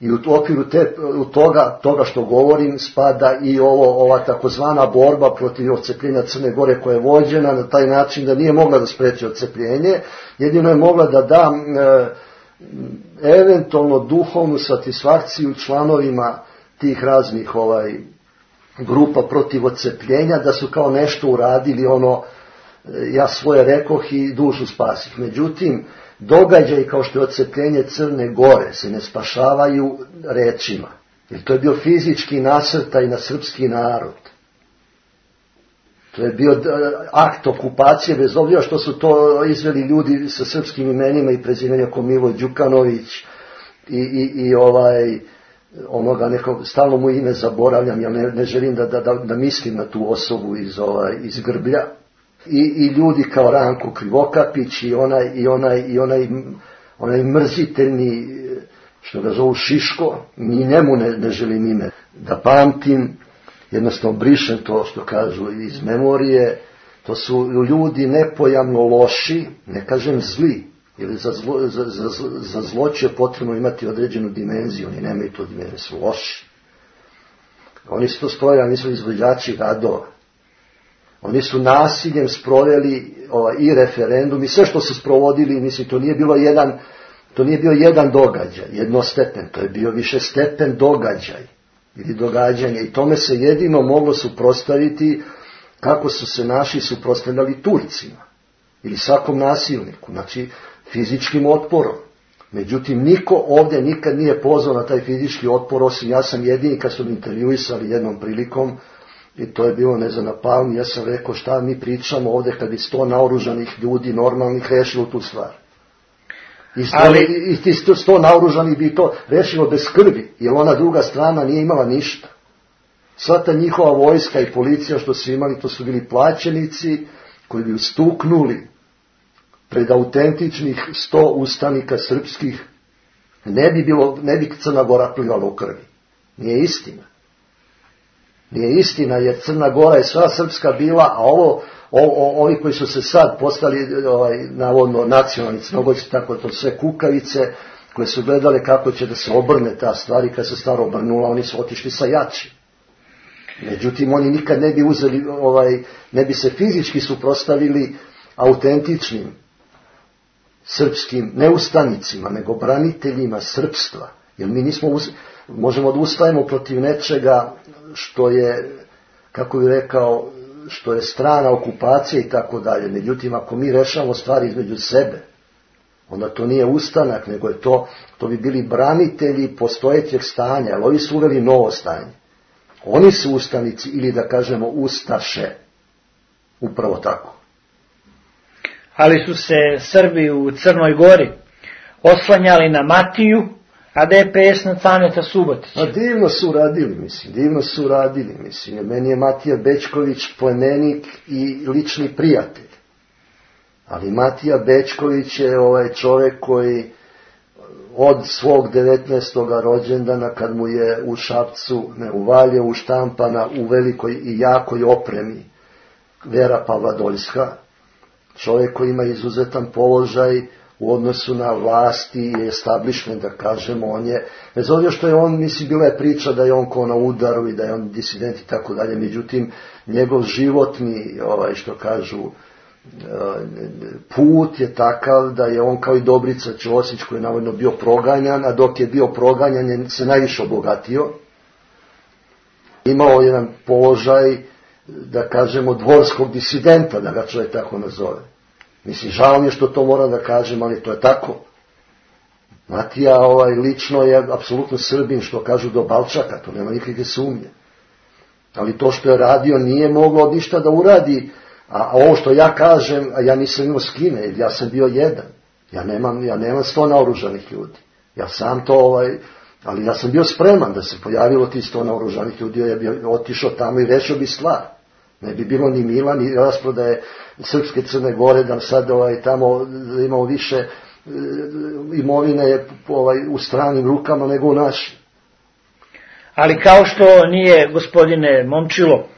I u okviru te, u toga, toga što govorim spada i ovo, ova takozvana borba protiv odcepljenja Crne Gore koja je vođena na taj način da nije mogla da spreči odcepljenje, jedino je mogla da da e, eventualno duhovnu satisfakciju članovima tih raznih ovaj, grupa protiv odcepljenja, da su kao nešto uradili, ono, ja svoje rekoh i dušu spasih. Međutim, događaj kao što je odcepljenje Crne Gore se ne spašavaju rečima. Jer to je bio fizički nasrtaj na srpski narod. To je bio akt okupacije, bez obzira što su to izveli ljudi sa srpskim imenima i prezimenja kao Milo Đukanović i, i, i ovaj, onoga nekog, stalno mu ime zaboravljam, ja ne, ne želim da, da, da mislim na tu osobu iz, ovaj, iz Grblja. I, i ljudi kao Ranko Krivokapić i onaj, i onaj, i onaj, onaj mrziteljni, što ga zovu Šiško, ni njemu ne, ne želim ime da pamtim, jednostavno brišem to što kažu iz memorije, To su ljudi nepojamno loši, ne kažem zli, jer za zlo, za, za, za zloće je potrebno imati određenu dimenziju, oni nemaju to dimenziju, su loši. Oni su to sproveli, oni su izvođači radova. Oni su nasiljem sproveli ovaj, i referendum i sve što su sprovodili, mislim, to nije bilo jedan, to nije bio jedan događaj, jednostepen, to je bio višestepen događaj ili događanje i tome se jedino moglo suprotstaviti kako su se naši suprotstavljali Turcima ili svakom nasilniku, znači fizičkim otporom. Međutim, niko ovdje nikad nije pozvao na taj fizički otpor, osim ja sam jedini kad su mi intervjuisali jednom prilikom, i to je bilo ne znam na Palmi, ja sam rekao šta mi pričamo ovdje kad bi sto naoružanih ljudi normalnih rešilo tu stvar. I, sto, Ali... i ti sto, sto naoružanih bi to rešilo bez krvi, jer ona druga strana nije imala ništa. Sva ta njihova vojska i policija što su imali, to su bili plaćenici koji bi ustuknuli pred autentičnih sto ustanika srpskih, ne bi, bilo, ne bi Crna Gora plivala u krvi. Nije istina. Nije istina, jer Crna Gora je sva srpska bila, a ovo, o, o, ovi koji su se sad postali ovaj, navodno nacionalni Crnogorci, tako to sve kukavice, koje su gledale kako će da se obrne ta stvar i kad se stvar obrnula, oni su otišli sa jači. Međutim, oni nikad ne bi uzeli, ovaj, ne bi se fizički suprotstavili autentičnim srpskim, ne ustanicima, nego braniteljima srpstva. Jer mi nismo, uz, možemo da ustajemo protiv nečega što je, kako bih rekao, što je strana okupacije i tako dalje. Međutim, ako mi rešavamo stvari između sebe, onda to nije ustanak, nego je to, to bi bili branitelji postojećeg stanja, ali ovi su uveli novo stanje. Oni su ustanici ili da kažemo ustaše. Upravo tako. Ali su se Srbi u Crnoj Gori oslanjali na Matiju, a D P S na Caneta Subotića. A divno su radili, mislim, divno su radili, mislim. Meni je Matija Bečković plemenik i lični prijatelj. Ali Matija Bečković je ovaj čovjek koji od svog devetnaestog rođendana, kad mu je u Šapcu, ne u Valjevu, štampana u velikoj i jakoj opremi Vera Pavladoljska, čovjek koji ima izuzetan položaj u odnosu na vlasti i establishment, da kažemo, on je, bez obzira što je on, mislim, bila je priča da je on ko na udaru i da je on disident i tako dalje, međutim, njegov životni, ovaj, što kažu, put je takav da je on kao i Dobrica Ćosić koji je navodno bio proganjan, a dok je bio proganjan je se najviše obogatio. Imao jedan položaj, da kažemo, dvorskog disidenta, da ga čovjek tako nazove. Mislim, žao mi je što to moram da kažem, ali to je tako. Matija ovaj, lično je apsolutno Srbin, što kažu do Balčaka, to nema nikakve sumnje. Ali to što je radio nije moglo ništa da uradi. A ovo što ja kažem, a ja nisam imao s kime, jer ja sam bio jedan. Ja nemam, ja nemam sto naoružanih ljudi. Ja sam to, ovaj, ali ja sam bio spreman da se pojavilo ti sto naoružanih ljudi, ja bi otišao tamo i rešio bi stvar. Ne bi bilo ni mila, ni rasprodaje Srpske Crne Gore, da sad ovaj, tamo da imamo više e, imovine ovaj, u stranim rukama nego u našim. Ali kao što nije, gospodine Momčilo,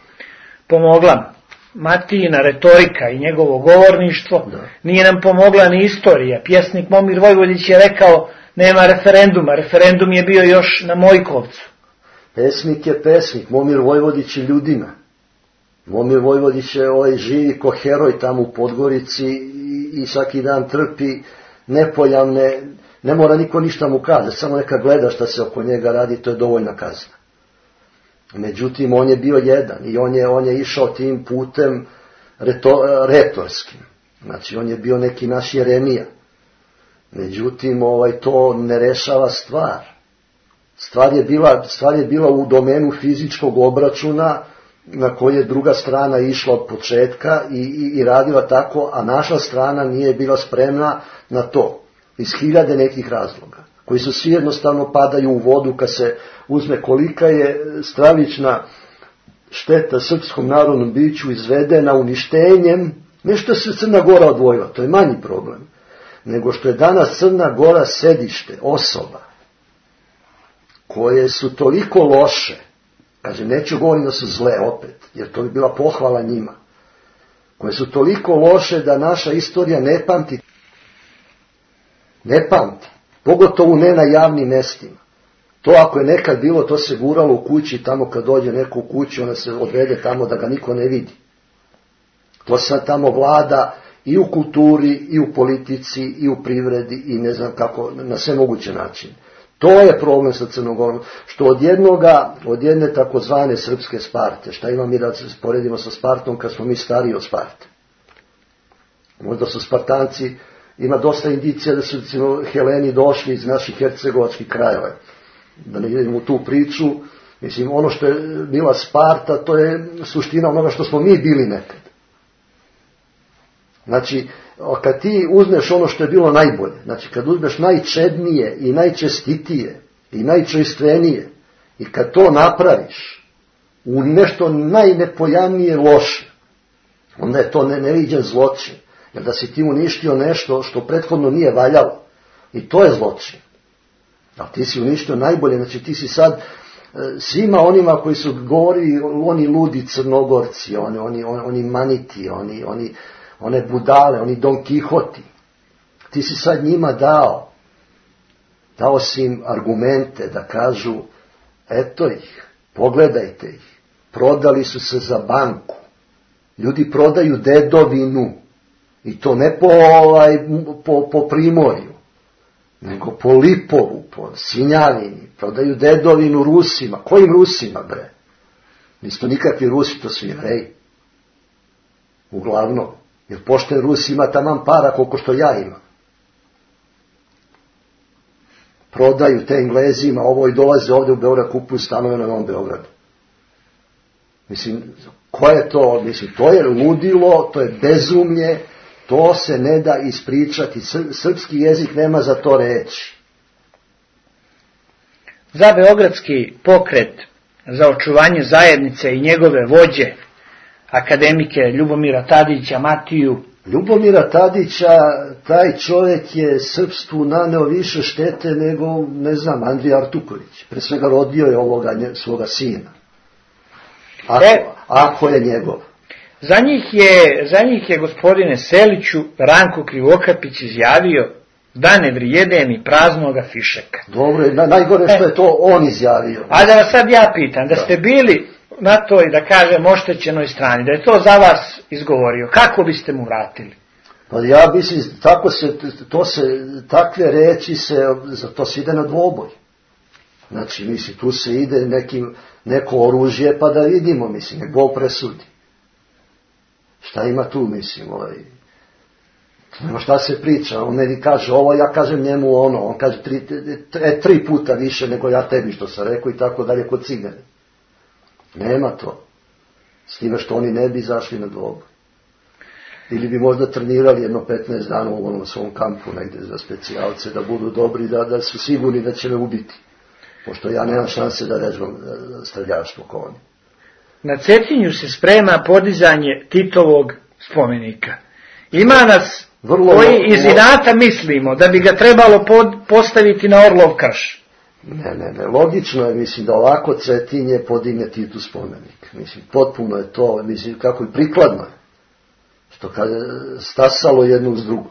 pomogla Matijina retorika i njegovo govorništvo, da. Nije nam pomogla ni istorija. Pjesnik Momir Vojvodić je rekao, nema referenduma, referendum je bio još na Mojkovcu. Pesnik je pesnik, Momir Vojvodić je ljudina. Momir Vojvodić je ovaj, živi ko heroj tamo u Podgorici i, i svaki dan trpi nepojamne, ne mora niko ništa mu kaže, samo neka gleda šta se oko njega radi, to je dovoljna kazna. Međutim, on je bio jedan i on je, on je išao tim putem reto, retorskim. Znači, on je bio neki naš Jeremija. Međutim, ovaj, to ne rešava stvar. Stvar je bila, stvar je bila u domenu fizičkog obračuna na koje je druga strana išla od početka i, i, i radila tako, a naša strana nije bila spremna na to. Iz hiljade nekih razloga, koji su svi jednostavno padaju u vodu kad se uzme kolika je stravična šteta srpskom narodnom biću izvedena uništenjem, ne što se Crna Gora odvojila, to je manji problem, nego što je danas Crna Gora sedište osoba koje su toliko loše, kažem, neću govoriti da su zle opet, jer to bi bila pohvala njima, koje su toliko loše da naša istorija ne pamti. Ne pamti. Pogotovo ne na javnim mestima. To ako je nekad bilo, to se guralo u kući, tamo kad dođe neko u kući, ona se odvede tamo da ga niko ne vidi. To sad tamo vlada i u kulturi, i u politici, i u privredi, i ne znam kako, na sve moguće načine. To je problem sa Crnogorom, što od jednoga, od jedne takozvane srpske Sparte, šta ima mi da se poredimo sa Spartom kad smo mi stariji od Sparte. Možda su Spartanci, ima dosta indicija da su recimo Heleni došli iz naših hercegovačkih krajeva. Da ne idemo u tu priču, mislim, ono što je bila Sparta, to je suština onoga što smo mi bili nekad. Znači, kad ti uzmeš ono što je bilo najbolje, znači kad uzmeš najčednije i najčestitije i najčojstvenije i kad to napraviš u nešto najnepojamnije loše, onda je to neviđen zločin. Jer da si ti uništio nešto što prethodno nije valjalo, i to je zločin. A ti si uništio najbolje, znači ti si sad svima onima koji su govorili, oni ludi Crnogorci, oni, oni, oni maniti, oni, oni, one budale, oni Don Kihoti, ti si sad njima dao, dao si im argumente da kažu, eto ih, pogledajte ih, prodali su se za banku, ljudi prodaju dedovinu, i to ne po, ovaj, po, po primorju, nego po Lipovu, po Svinjavini, prodaju dedovinu Rusima. Kojim Rusima, bre? Nisu to nikakvi Rusi, to su Jevreji. Uglavnom. Jer pošten Rus ima taman para koliko što ja imam. Prodaju te Englezima, ovo i dolaze ovdje u Beograd, kupuju stanove na Novom Beogradu. Mislim, ko je to? Mislim, to je ludilo, to je bezumlje, to se ne da ispričati. Srpski jezik nema za to reći. Za beogradski pokret za očuvanje zajednice i njegove vođe, akademike Ljubomira Tadića, Matiju. Ljubomira Tadića, taj čovjek je srpstvu naneo više štete nego, ne znam, Andrija Artuković. Pre svega rodio je ovoga svoga sina. Ako, e, ako je njegov. Za njih je, za njih je gospodine Seliću Ranko Krivokapić izjavio da ne vrijede mi praznoga fišeka. Dobro, na, najgore što je to on izjavio. A da vas sad ja pitam, da, da ste bili na toj, da kažem, oštećenoj strani, da je to za vas izgovorio, kako biste mu vratili? Pa ja mislim, tako se, to se, takve reči se, to se ide na dvoboj. Znači, mislim, tu se ide nekim, neko oružje, pa da vidimo, mislim, nek Bog presudi. Šta ima tu, mislim, ovaj, nema šta se priča, on meni kaže ovo, ja kažem njemu ono, on kaže tri, tri, tri puta više nego ja tebi što sam rekao i tako dalje kod Cigane. Nema to. S time što oni ne bi zašli na dvoboj. Ili bi možda trenirali jedno petnaest dana u onom svom kampu negdje za specijalce, da budu dobri, da, da su sigurni da će me ubiti. Pošto ja nemam šanse da vežbam streljaštvo ko oni. Na Cetinju se sprema podizanje Titovog spomenika. Ima nas vrlo, koji iz inata mislimo da bi ga trebalo pod, postaviti na Orlov krš. Ne, ne, ne, logično je, mislim, da ovako Cetinje podigne Titu spomenik. Mislim, potpuno je to, mislim, kako i prikladno je. Što kad je stasalo jedno uz drugo.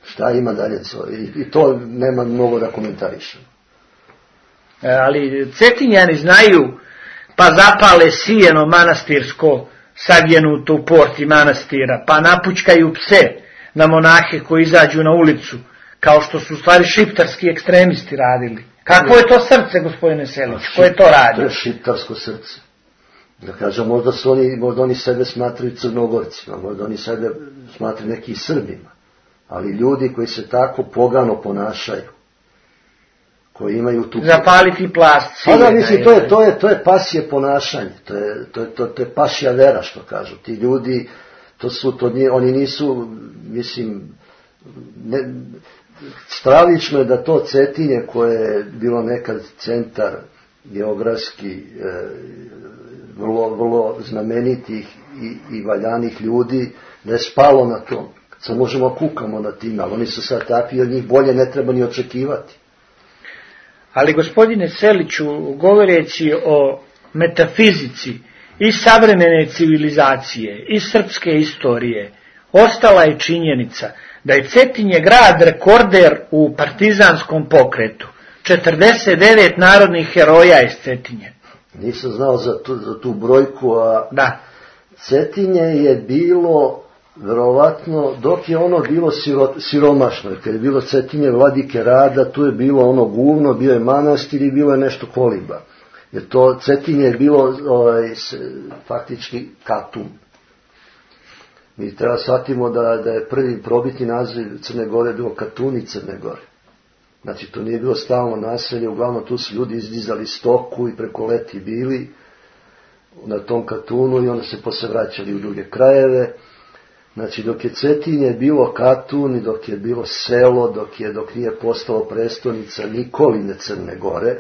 Šta ima dalje? I, i to nema mnogo da komentarišem. E, ali Cetinjani znaju, pa zapale sijeno manastirsko savjenuto u porti manastira, pa napučkaju pse na monahe koji izađu na ulicu, kao što su u stvari šiptarski ekstremisti radili. Kako je to srce, gospodine Selić? Ko je to radio? To je šiptarsko srce. Da kažem, možda, su oni, možda oni sebe smatraju Crnogorcima, možda oni sebe smatraju neki Srbima, ali ljudi koji se tako pogano ponašaju, koji imaju tu... Zapaliti plast. Pa da, mislim, to je, to je, to je pasje ponašanje, to je, to je, to, to je pasja vera, što kažu. Ti ljudi, to su, to nije, oni nisu, mislim, ne, stravično je da to Cetinje, koje je bilo nekad centar geografski, e, vrlo, vrlo znamenitih i, i valjanih ljudi, da je spalo na tom. Sad možemo kukamo na tim, ali oni su sad takvi, od njih bolje ne treba ni očekivati. Ali, gospodine Seliću, govoreći o metafizici iz savremene civilizacije, iz srpske istorije, ostala je činjenica da je Cetinje grad rekorder u partizanskom pokretu. četrdeset devet narodnih heroja iz Cetinje. Nisam znao za tu, za tu brojku, a da. Cetinje je bilo, verovatno, dok je ono bilo siro, siromašno, jer kad je bilo Cetinje vladike Rada, tu je bilo ono guvno, bio je manastir i bilo je nešto koliba. Jer to Cetinje je bilo ovaj, faktički Katun. Mi treba shvatimo da, da je prvi probitni naziv Crne Gore bilo Katuni Crne Gore. Znači, to nije bilo stalno naselje, uglavnom tu su ljudi izdizali stoku i preko leti bili na tom Katunu i onda se posle vraćali u druge krajeve. Znači, dok je Cetinje bilo Katun i dok je bilo selo, dok, je, dok nije postalo prestonica Nikoline Crne Gore,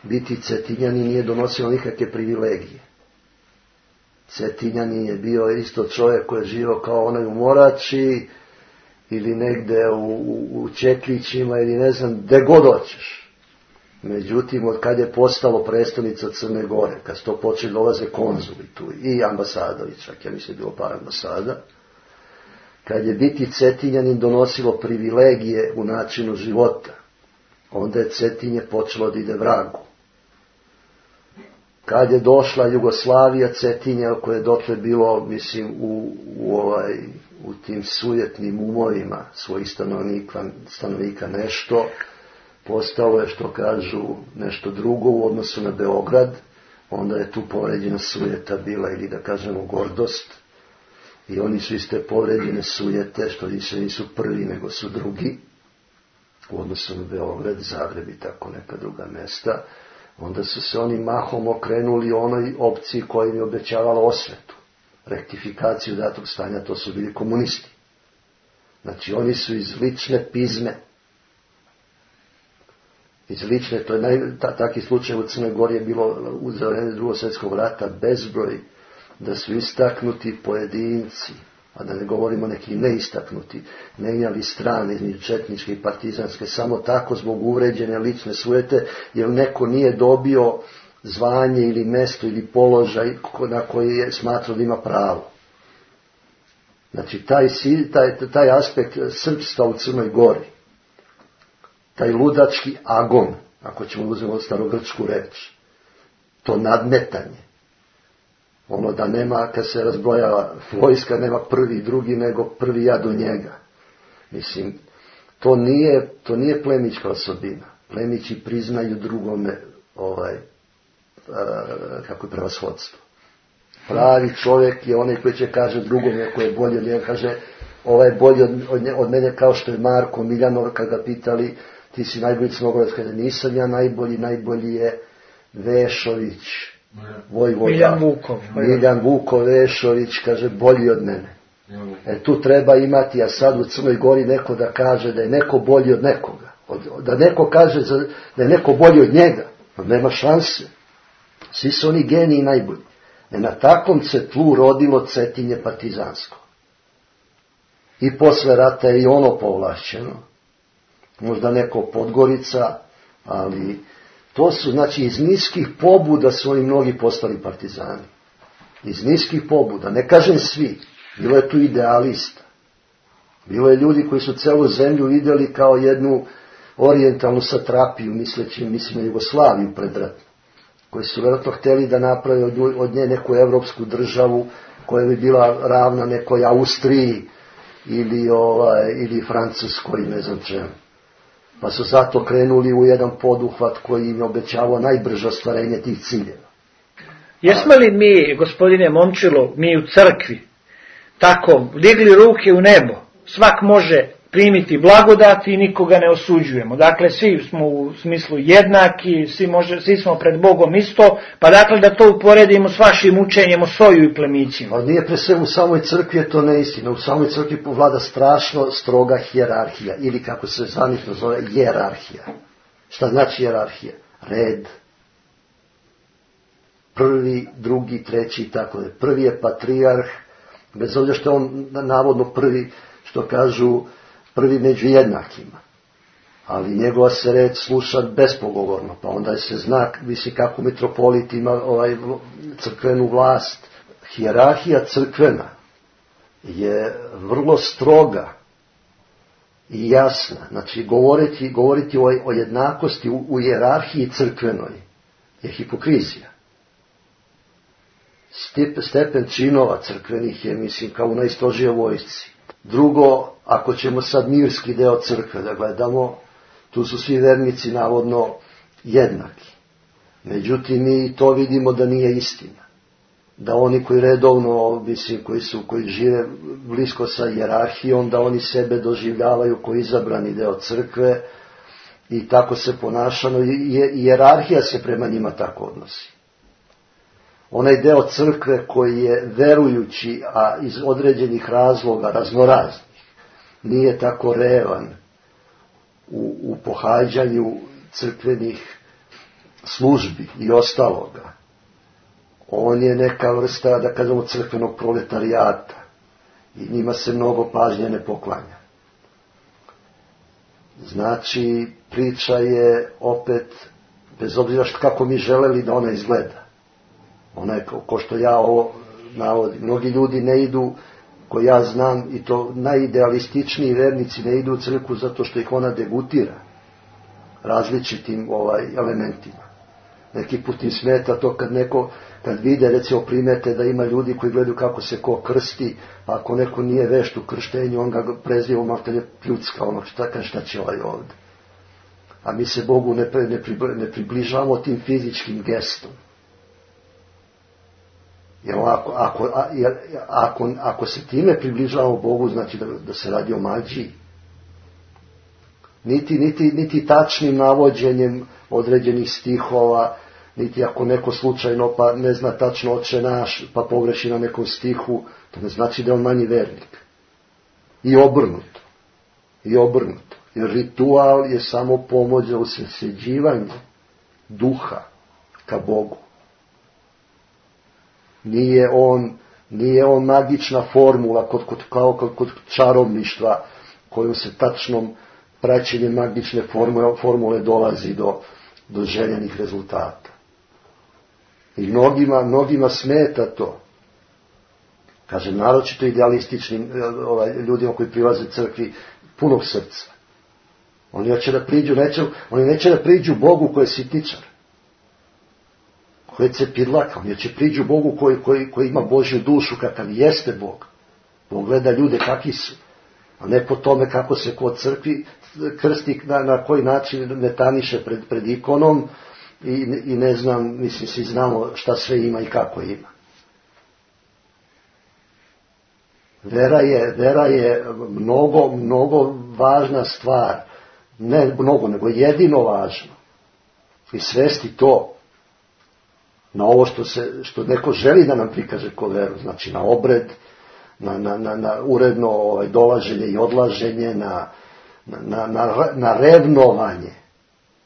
biti Cetinjani nije donosilo nikakve privilegije. Cetinjani je bio isto čovjek koji je živio kao onaj u Morači ili negde u, u, u Čeklićima ili ne znam, gde god hoćeš. Međutim, od kad je postalo prestonica Crne Gore, kad su to počeli dolaze konzuli tu i ambasadovi, čak ja mislim bilo par ambasada, kad je biti Cetinjanin donosilo privilegije u načinu života, onda je Cetinje počelo da ide vragu. Kad je došla Jugoslavija, Cetinje, koje je dotle bilo, mislim, u, u, ovaj, u tim sujetnim umovima svojih stanovnika, stanovnika nešto, postalo je, što kažu, nešto drugo u odnosu na Beograd, onda je tu povređena sujeta bila, ili da kažemo gordost, i oni su iz te povređene sujete, što više nisu prvi, nego su drugi, u odnosu na Beograd, Zagreb i tako neka druga mesta, onda su se oni mahom okrenuli onoj opciji koja im je obećavala osvetu, rektifikaciju datog stanja, to su bili komunisti. Znači, oni su iz lične pizme, iz lične, to je naj, ta, taki slučaj u Crnoj Gori je bilo u za vreme Drugog svjetskog rata bezbroj, da su istaknuti pojedinci, a da ne govorimo neki neistaknuti, menjali strane između četničke i partizanske, samo tako zbog uvređene lične sujete, jer neko nije dobio zvanje ili mesto ili položaj na koji je smatrao da ima pravo. Znači, taj, taj, taj aspekt srpstva u Crnoj Gori, taj ludački agon, ako ćemo uzeti starogrčku reč, to nadmetanje, ono da nema, kad se razbrojava vojska, nema prvi i drugi, nego prvi ja do njega. Mislim, to nije, to nije plemićka osobina. Plemići priznaju drugome, ovaj, a, kako je prevashodstvo. Pravi čovjek je onaj koji će kaže drugome koji je bolji od njega, kaže ovaj je bolji od, od, od mene, kao što je Marko Miljanov, kad ga pitali ti si najbolji Crnogorac, kada nisam ja najbolji, najbolji je Vešović, Vojvoda, Miljan Vukov, Miljan Vukov Vešović, kaže bolji od mene. E tu treba imati, a sad u Crnoj Gori neko da kaže da je neko bolji od nekoga, od, da neko kaže za, da je neko bolji od njega, pa nema šanse. Svi su oni geniji najbolji. E na takvom se tlu rodilo Cetinje partizansko. I posle rata je i ono povlašćeno. Možda neko Podgorica, ali to su, znači, iz niskih pobuda su oni mnogi postali partizani. Iz niskih pobuda, ne kažem svi, bilo je tu idealista. Bilo je ljudi koji su celu zemlju vidjeli kao jednu orijentalnu satrapiju, misleći, mislim na Jugoslaviju predratno, koji su vjerojatno htjeli da naprave od nje neku evropsku državu koja bi bila ravna nekoj Austriji ili, ovaj, ili Francuskoj, ne znam čemu. Pa su zato krenuli u jedan poduhvat koji im je obećavao najbrže ostvarenje tih ciljeva. Jesmo li mi, gospodine Momčilo, mi u crkvi, tako digli ruke u nebo, svak može primiti blagodat i nikoga ne osuđujemo. Dakle, svi smo u smislu jednaki, svi, može, svi smo pred Bogom isto, pa dakle da to uporedimo s vašim učenjem o soju i plemićima. Ali nije pre sve u samoj crkvi je to neistina. U samoj crkvi vlada strašno stroga hijerarhija, ili kako se zvanično zove, jerarhija. Šta znači jerarhija? Red. Prvi, drugi, treći i tako da. Prvi je patrijarh, bez obzira što je on navodno prvi, što kažu, prvi među jednakima. ali njegova se reč sluša bespogovorno, pa onda se zna, misli kako mitropolit ima ovaj crkvenu vlast. Hijerarhija crkvena je vrlo stroga i jasna. Znači, govoriti, govoriti o, o jednakosti u, u hijerarhiji crkvenoj je hipokrizija. Step, stepen činova crkvenih je, mislim, kao u najstrožije vojsci. Drugo, ako ćemo sad mirski deo crkve da gledamo, tu su svi vernici navodno jednaki. Međutim, mi to vidimo da nije istina. Da oni koji redovno, mislim, koji su, koji žive blisko sa hijerarhijom, da oni sebe doživljavaju koji izabrani deo crkve i tako se ponašano, i hijerarhija se prema njima tako odnosi. Onaj deo crkve koji je verujući, a iz određenih razloga, raznoraznih, nije tako revan u, u pohađanju crkvenih službi i ostaloga. On je neka vrsta, da kažemo, crkvenog proletarijata i njima se mnogo pažnje ne poklanja. Znači, priča je opet, bez obzira kako mi želeli da ona izgleda. Ona je, ko što ja ovo navodim, mnogi ljudi ne idu, koji ja znam, i to najidealističniji vernici ne idu u crkvu zato što ih ona degutira različitim ovaj, elementima. Neki put im smeta to kad neko, kad vide, recimo, primete da ima ljudi koji gledaju kako se ko krsti, a ako neko nije vešt u krštenju, on ga preziva, malo te ne pljucka, ono, šta, šta će ovaj ovde. A mi se Bogu ne, ne, ne približavamo tim fizičkim gestom. Jer ako, ako, jer ako, ako se time približavamo Bogu, znači da, da se radi o magiji. Niti, niti, niti tačnim navođenjem određenih stihova, niti ako neko slučajno pa ne zna tačno Oče naš, pa pogreši na nekom stihu, to ne znači da je on manji vernik. I obrnuto. I obrnuto. Jer ritual je samo pomoć za usredsređivanje duha ka Bogu. Nije on, nije on magična formula kod, kod, kao kod, kod čarobništva kojom se tačnom praćenjem magične formule, formule dolazi do, do željenih rezultata. I mnogima, mnogima smeta to. Kažem, naročito idealističnim ovaj, ljudima koji prilaze crkvi punog srca. Oni hoće da priđu, neće, oni neće da priđu Bogu koji je sitničar, koji je cepirlaka, oni će priđu Bogu koji, koji, koji ima Božju dušu, kakav jeste Bog. Bog gleda ljude kakvi su, a ne po tome kako se kod crkvi krsti, na, na koji način metaniše pred, pred ikonom i, i ne znam, mislim, svi znamo šta sve ima i kako ima. Vera je, vera je mnogo, mnogo važna stvar, ne mnogo, nego jedino važno. I svesti to na ovo što, se, što neko želi da nam prikaže ko veru, znači na obred, na, na, na, na uredno ovaj, dolaženje i odlaženje, na, na, na, na revnovanje.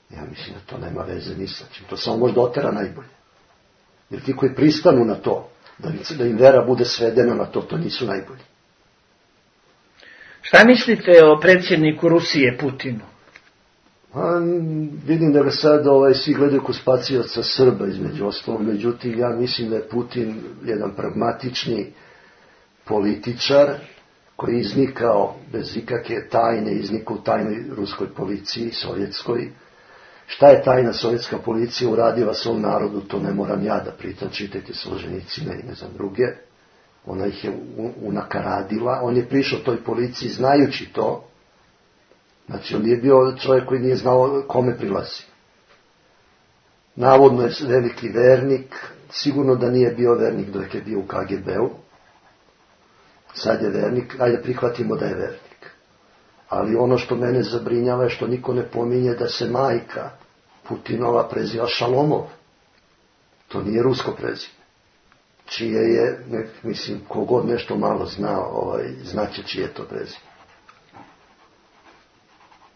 Ja mislim da to nema veze ni sa čim, to samo možda otera najbolje. Jer ti koji pristanu na to, da, da im vera bude svedena na to, to nisu najbolji. Šta mislite o predsjedniku Rusije, Putinu? A, vidim da ga sad ovaj, svi gledaju ko spacioca Srba između ostalog, međutim ja mislim da je Putin jedan pragmatični političar koji je iznikao bez ikakve tajne, iznikao u tajnoj ruskoj policiji, sovjetskoj. Šta je tajna sovjetska policija uradila svom narodu, to ne moram ja da pritam, čitajte Solženicina i ne znam druge. Ona ih je unakaradila, on je prišao toj policiji znajući to. Znači, on nije bio čovjek koji nije znao kome prilazi. Navodno je veliki vernik, sigurno da nije bio vernik dok je bio u K G B-u. Sad je vernik, ajde prihvatimo da je vernik. Ali ono što mene zabrinjava je što niko ne pominje da se majka Putinova preziva Šalomov. To nije rusko prezime. Čije je, ne, mislim, kogod nešto malo zna, ovaj, znaće čije je to prezime.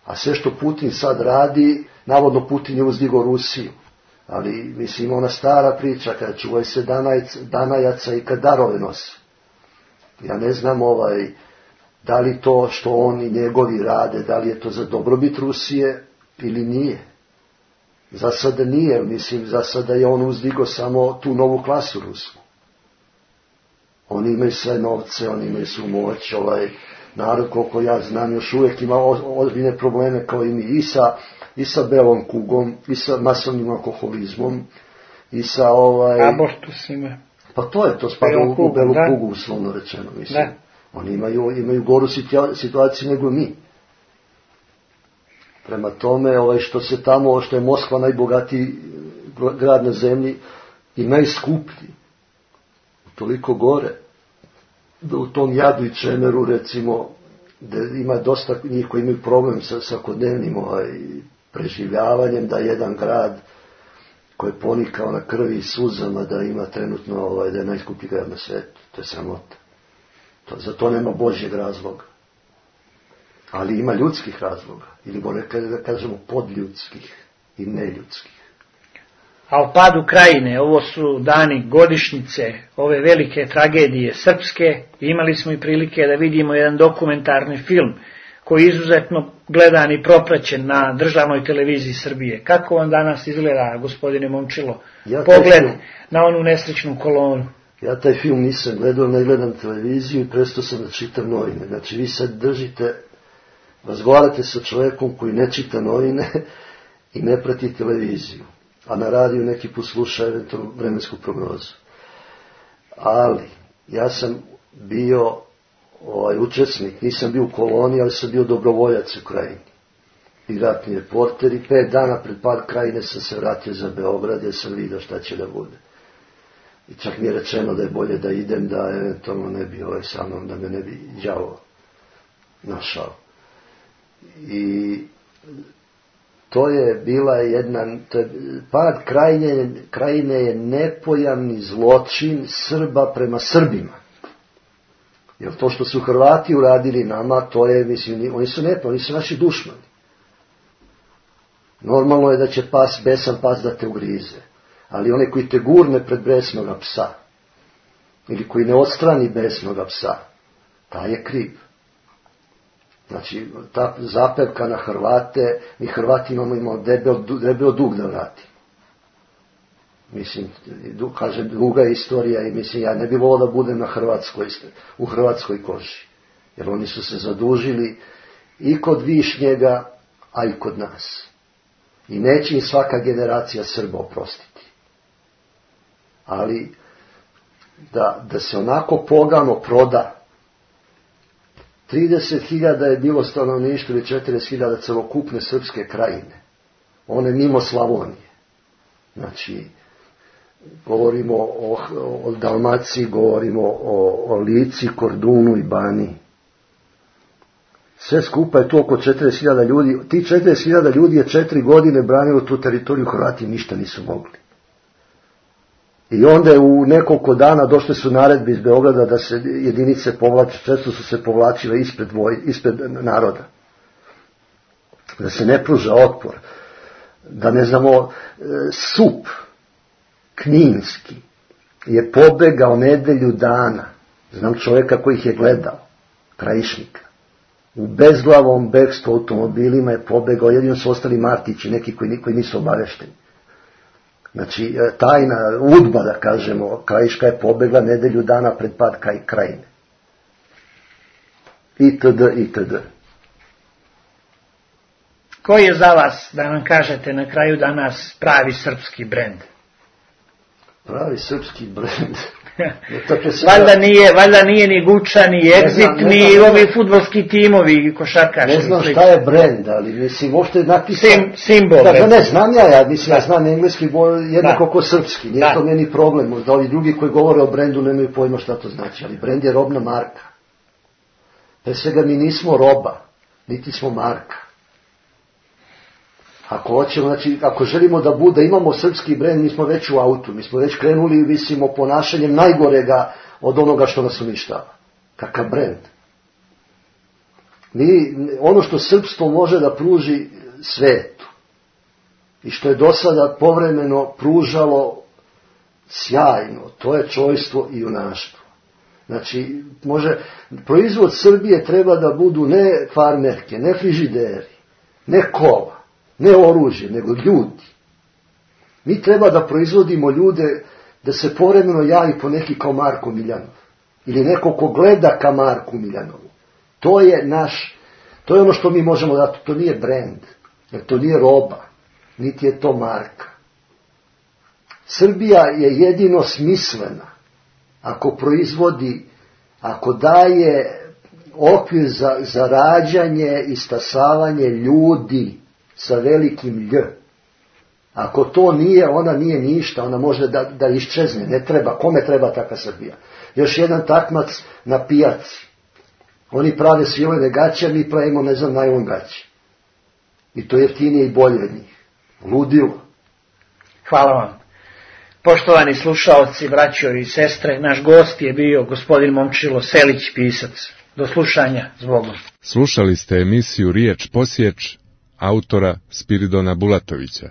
A sve što Putin sad radi, navodno Putin je uzdigao Rusiju. Ali, mislim, ona stara priča, kada čuvaj se danajca, danajaca i kad darove nosi. Ja ne znam, ovaj, Da li to što oni njegovi rade, da li je to za dobrobit Rusije ili nije? Za sada nije, mislim, za sada je on uzdigo samo tu novu klasu rusku. Oni imaju sve novce, oni imaju svu moć, ovaj narod, koliko ja znam, još uvijek ima ozbiljne probleme kao i mi, i sa, i sa belom kugom, i sa masovnim alkoholizmom, i sa ovaj... abortusima. Pa to je, to spada u, u belu da. kugu, uslovno rečeno, mislim. Da. Oni imaju, imaju goru situaciju nego mi. Prema tome, ovaj, što se tamo, što je Moskva najbogatiji grad na zemlji i najskuplji, toliko gore, da u tom jadu i čemeru, recimo, da ima dosta njih koji imaju problem sa svakodnevnim ovaj, preživljavanjem, da jedan grad koji je ponikao na krvi i suzama, da ima trenutno, ovaj, da je najskuplji grad na svijetu. To je sramota. To, za to nema Božjeg razloga. Ali ima ljudskih razloga. Ili bolje da kažemo podljudskih i neljudskih. A o padu Krajine, ovo su dani godišnjice ove velike tragedije srpske. Imali smo i prilike da vidimo jedan dokumentarni film koji je izuzetno gledan i propraćen na državnoj televiziji Srbije. Kako vam danas izgleda, gospodine Momčilo, ja pogled film, na onu nesrećnu kolonu? Ja taj film nisam gledao, ne gledam televiziju i prestao sam da čitam novine. Znači vi sad držite, razgovarate sa čovjekom koji ne čita novine i ne prati televiziju, a na radiju neki put sluša eventualno vremensku prognozu. Ali ja sam bio ovaj, učesnik, nisam bio u koloniji, ali sam bio dobrovoljac u Krajini. I ratni reporter, i pet dana pred pad Krajine sam se vratio za Beograd, jer sam vidio šta će da bude. I čak mi je rečeno da je bolje da idem, da eventualno ne bi ovaj sa mnom, da me ne bi đavo našao. I to je bila jedna, to je, pad Krajine, Krajine je nepojamni zločin Srba prema Srbima. Jer to što su Hrvati uradili nama, to je, mislim, oni su nepojamni, oni su naši dušmani. Normalno je da će pas, besan pas da te ugrize. Ali onaj koji te gurne pred besnoga psa, ili koji ne odstrani besnoga psa, taj je kriv. Znači, ta zapevka na Hrvate, mi Hrvati imamo, imamo debel, debel dug da vratimo. Mislim, kažem, duga istorija i mislim, ja ne bih volio da budem na Hrvatskoj, u Hrvatskoj koži. Jer oni su se zadužili i kod Višnjega, a i kod nas. I neće im svaka generacija Srba oprostiti. Ali, da, da se onako pogano proda, trideset hiljada je bilo stanovništvo ili četrdeset hiljada celokupne srpske Krajine. One mimo Slavonije. Znači, govorimo o, o Dalmaciji, govorimo o, o Lici, Kordunu i Baniji. Sve skupa je to oko četrdeset hiljada ljudi. Ti četrdeset hiljada ljudi je četiri godine branilo tu teritoriju, Hrvati ništa nisu mogli. I onda je u nekoliko dana došle su naredbe iz Beograda da se jedinice povlače, često su se povlačile ispred, voj, ispred naroda. Da se ne pruža otpor. Da ne znamo, Sup Kninski je pobegao nedelju dana. Znam čovjeka koji ih je gledao, Krajišnika. U bezglavom bekstvu automobilima je pobegao, jedino su ostali Martići, neki koji, koji nisu obavešteni. Znači, tajna udba, da kažemo, Krajiška je pobegla nedelju dana pred pad Krajine. Itd., itd. Koji je za vas, da nam kažete na kraju danas, pravi srpski brend? Pravi srpski brend? valjda, nije, valjda nije ni Guča, ni Exit, ni ovi fudbalski timovi, košarkaški. Ne znam šta je brend, ali mislim, uopšte napisam... Sim, simbol. Da, ne znam ja, ja mislim, ja znam engleski jednako ko srpski, nije da. To meni problem, možda ovi drugi koji govore o brendu nemaju pojma šta to znači, ali brend je robna marka. Pre svega mi nismo roba, niti smo marka. Ako hoćemo, znači, ako želimo da bude, imamo srpski brend, mi smo već u autu, mi smo već krenuli, visimo, ponašanjem najgorega od onoga što nas uništava. Kakav brend? Mi, ono što srpstvo može da pruži svetu i što je do sada povremeno pružalo sjajno, to je čojstvo i junaštvo. Znači, može, proizvod Srbije treba da budu ne farmerke, ne frižideri, ne kola, ne oružje, nego ljudi. Mi treba da proizvodimo ljude da se povremeno javi po neki kao Marko Miljanov. Ili neko ko gleda ka Marku Miljanovu. To je naš, to je ono što mi možemo dati. To nije brend, jer to nije roba, niti je to marka. Srbija je jedino smislena ako proizvodi, ako daje okvir za, za rađanje i stasavanje ljudi sa velikim lj. Ako to nije, ona nije ništa, ona može da, da iščezne, ne treba, kome treba taka Srbija? Još jedan takmac na pijaci. Oni prave svilene gaće, mi pravimo, ne znam, najlon gaće. I to je jeftinije i bolje od njih. Ludilo. Hvala vam. Poštovani slušaoci, braćo i sestre, naš gost je bio gospodin Momčilo Selić, pisac. Do slušanja, zbogom. Slušali ste emisiju Riječ posječ autora Spiridona Bulatovića.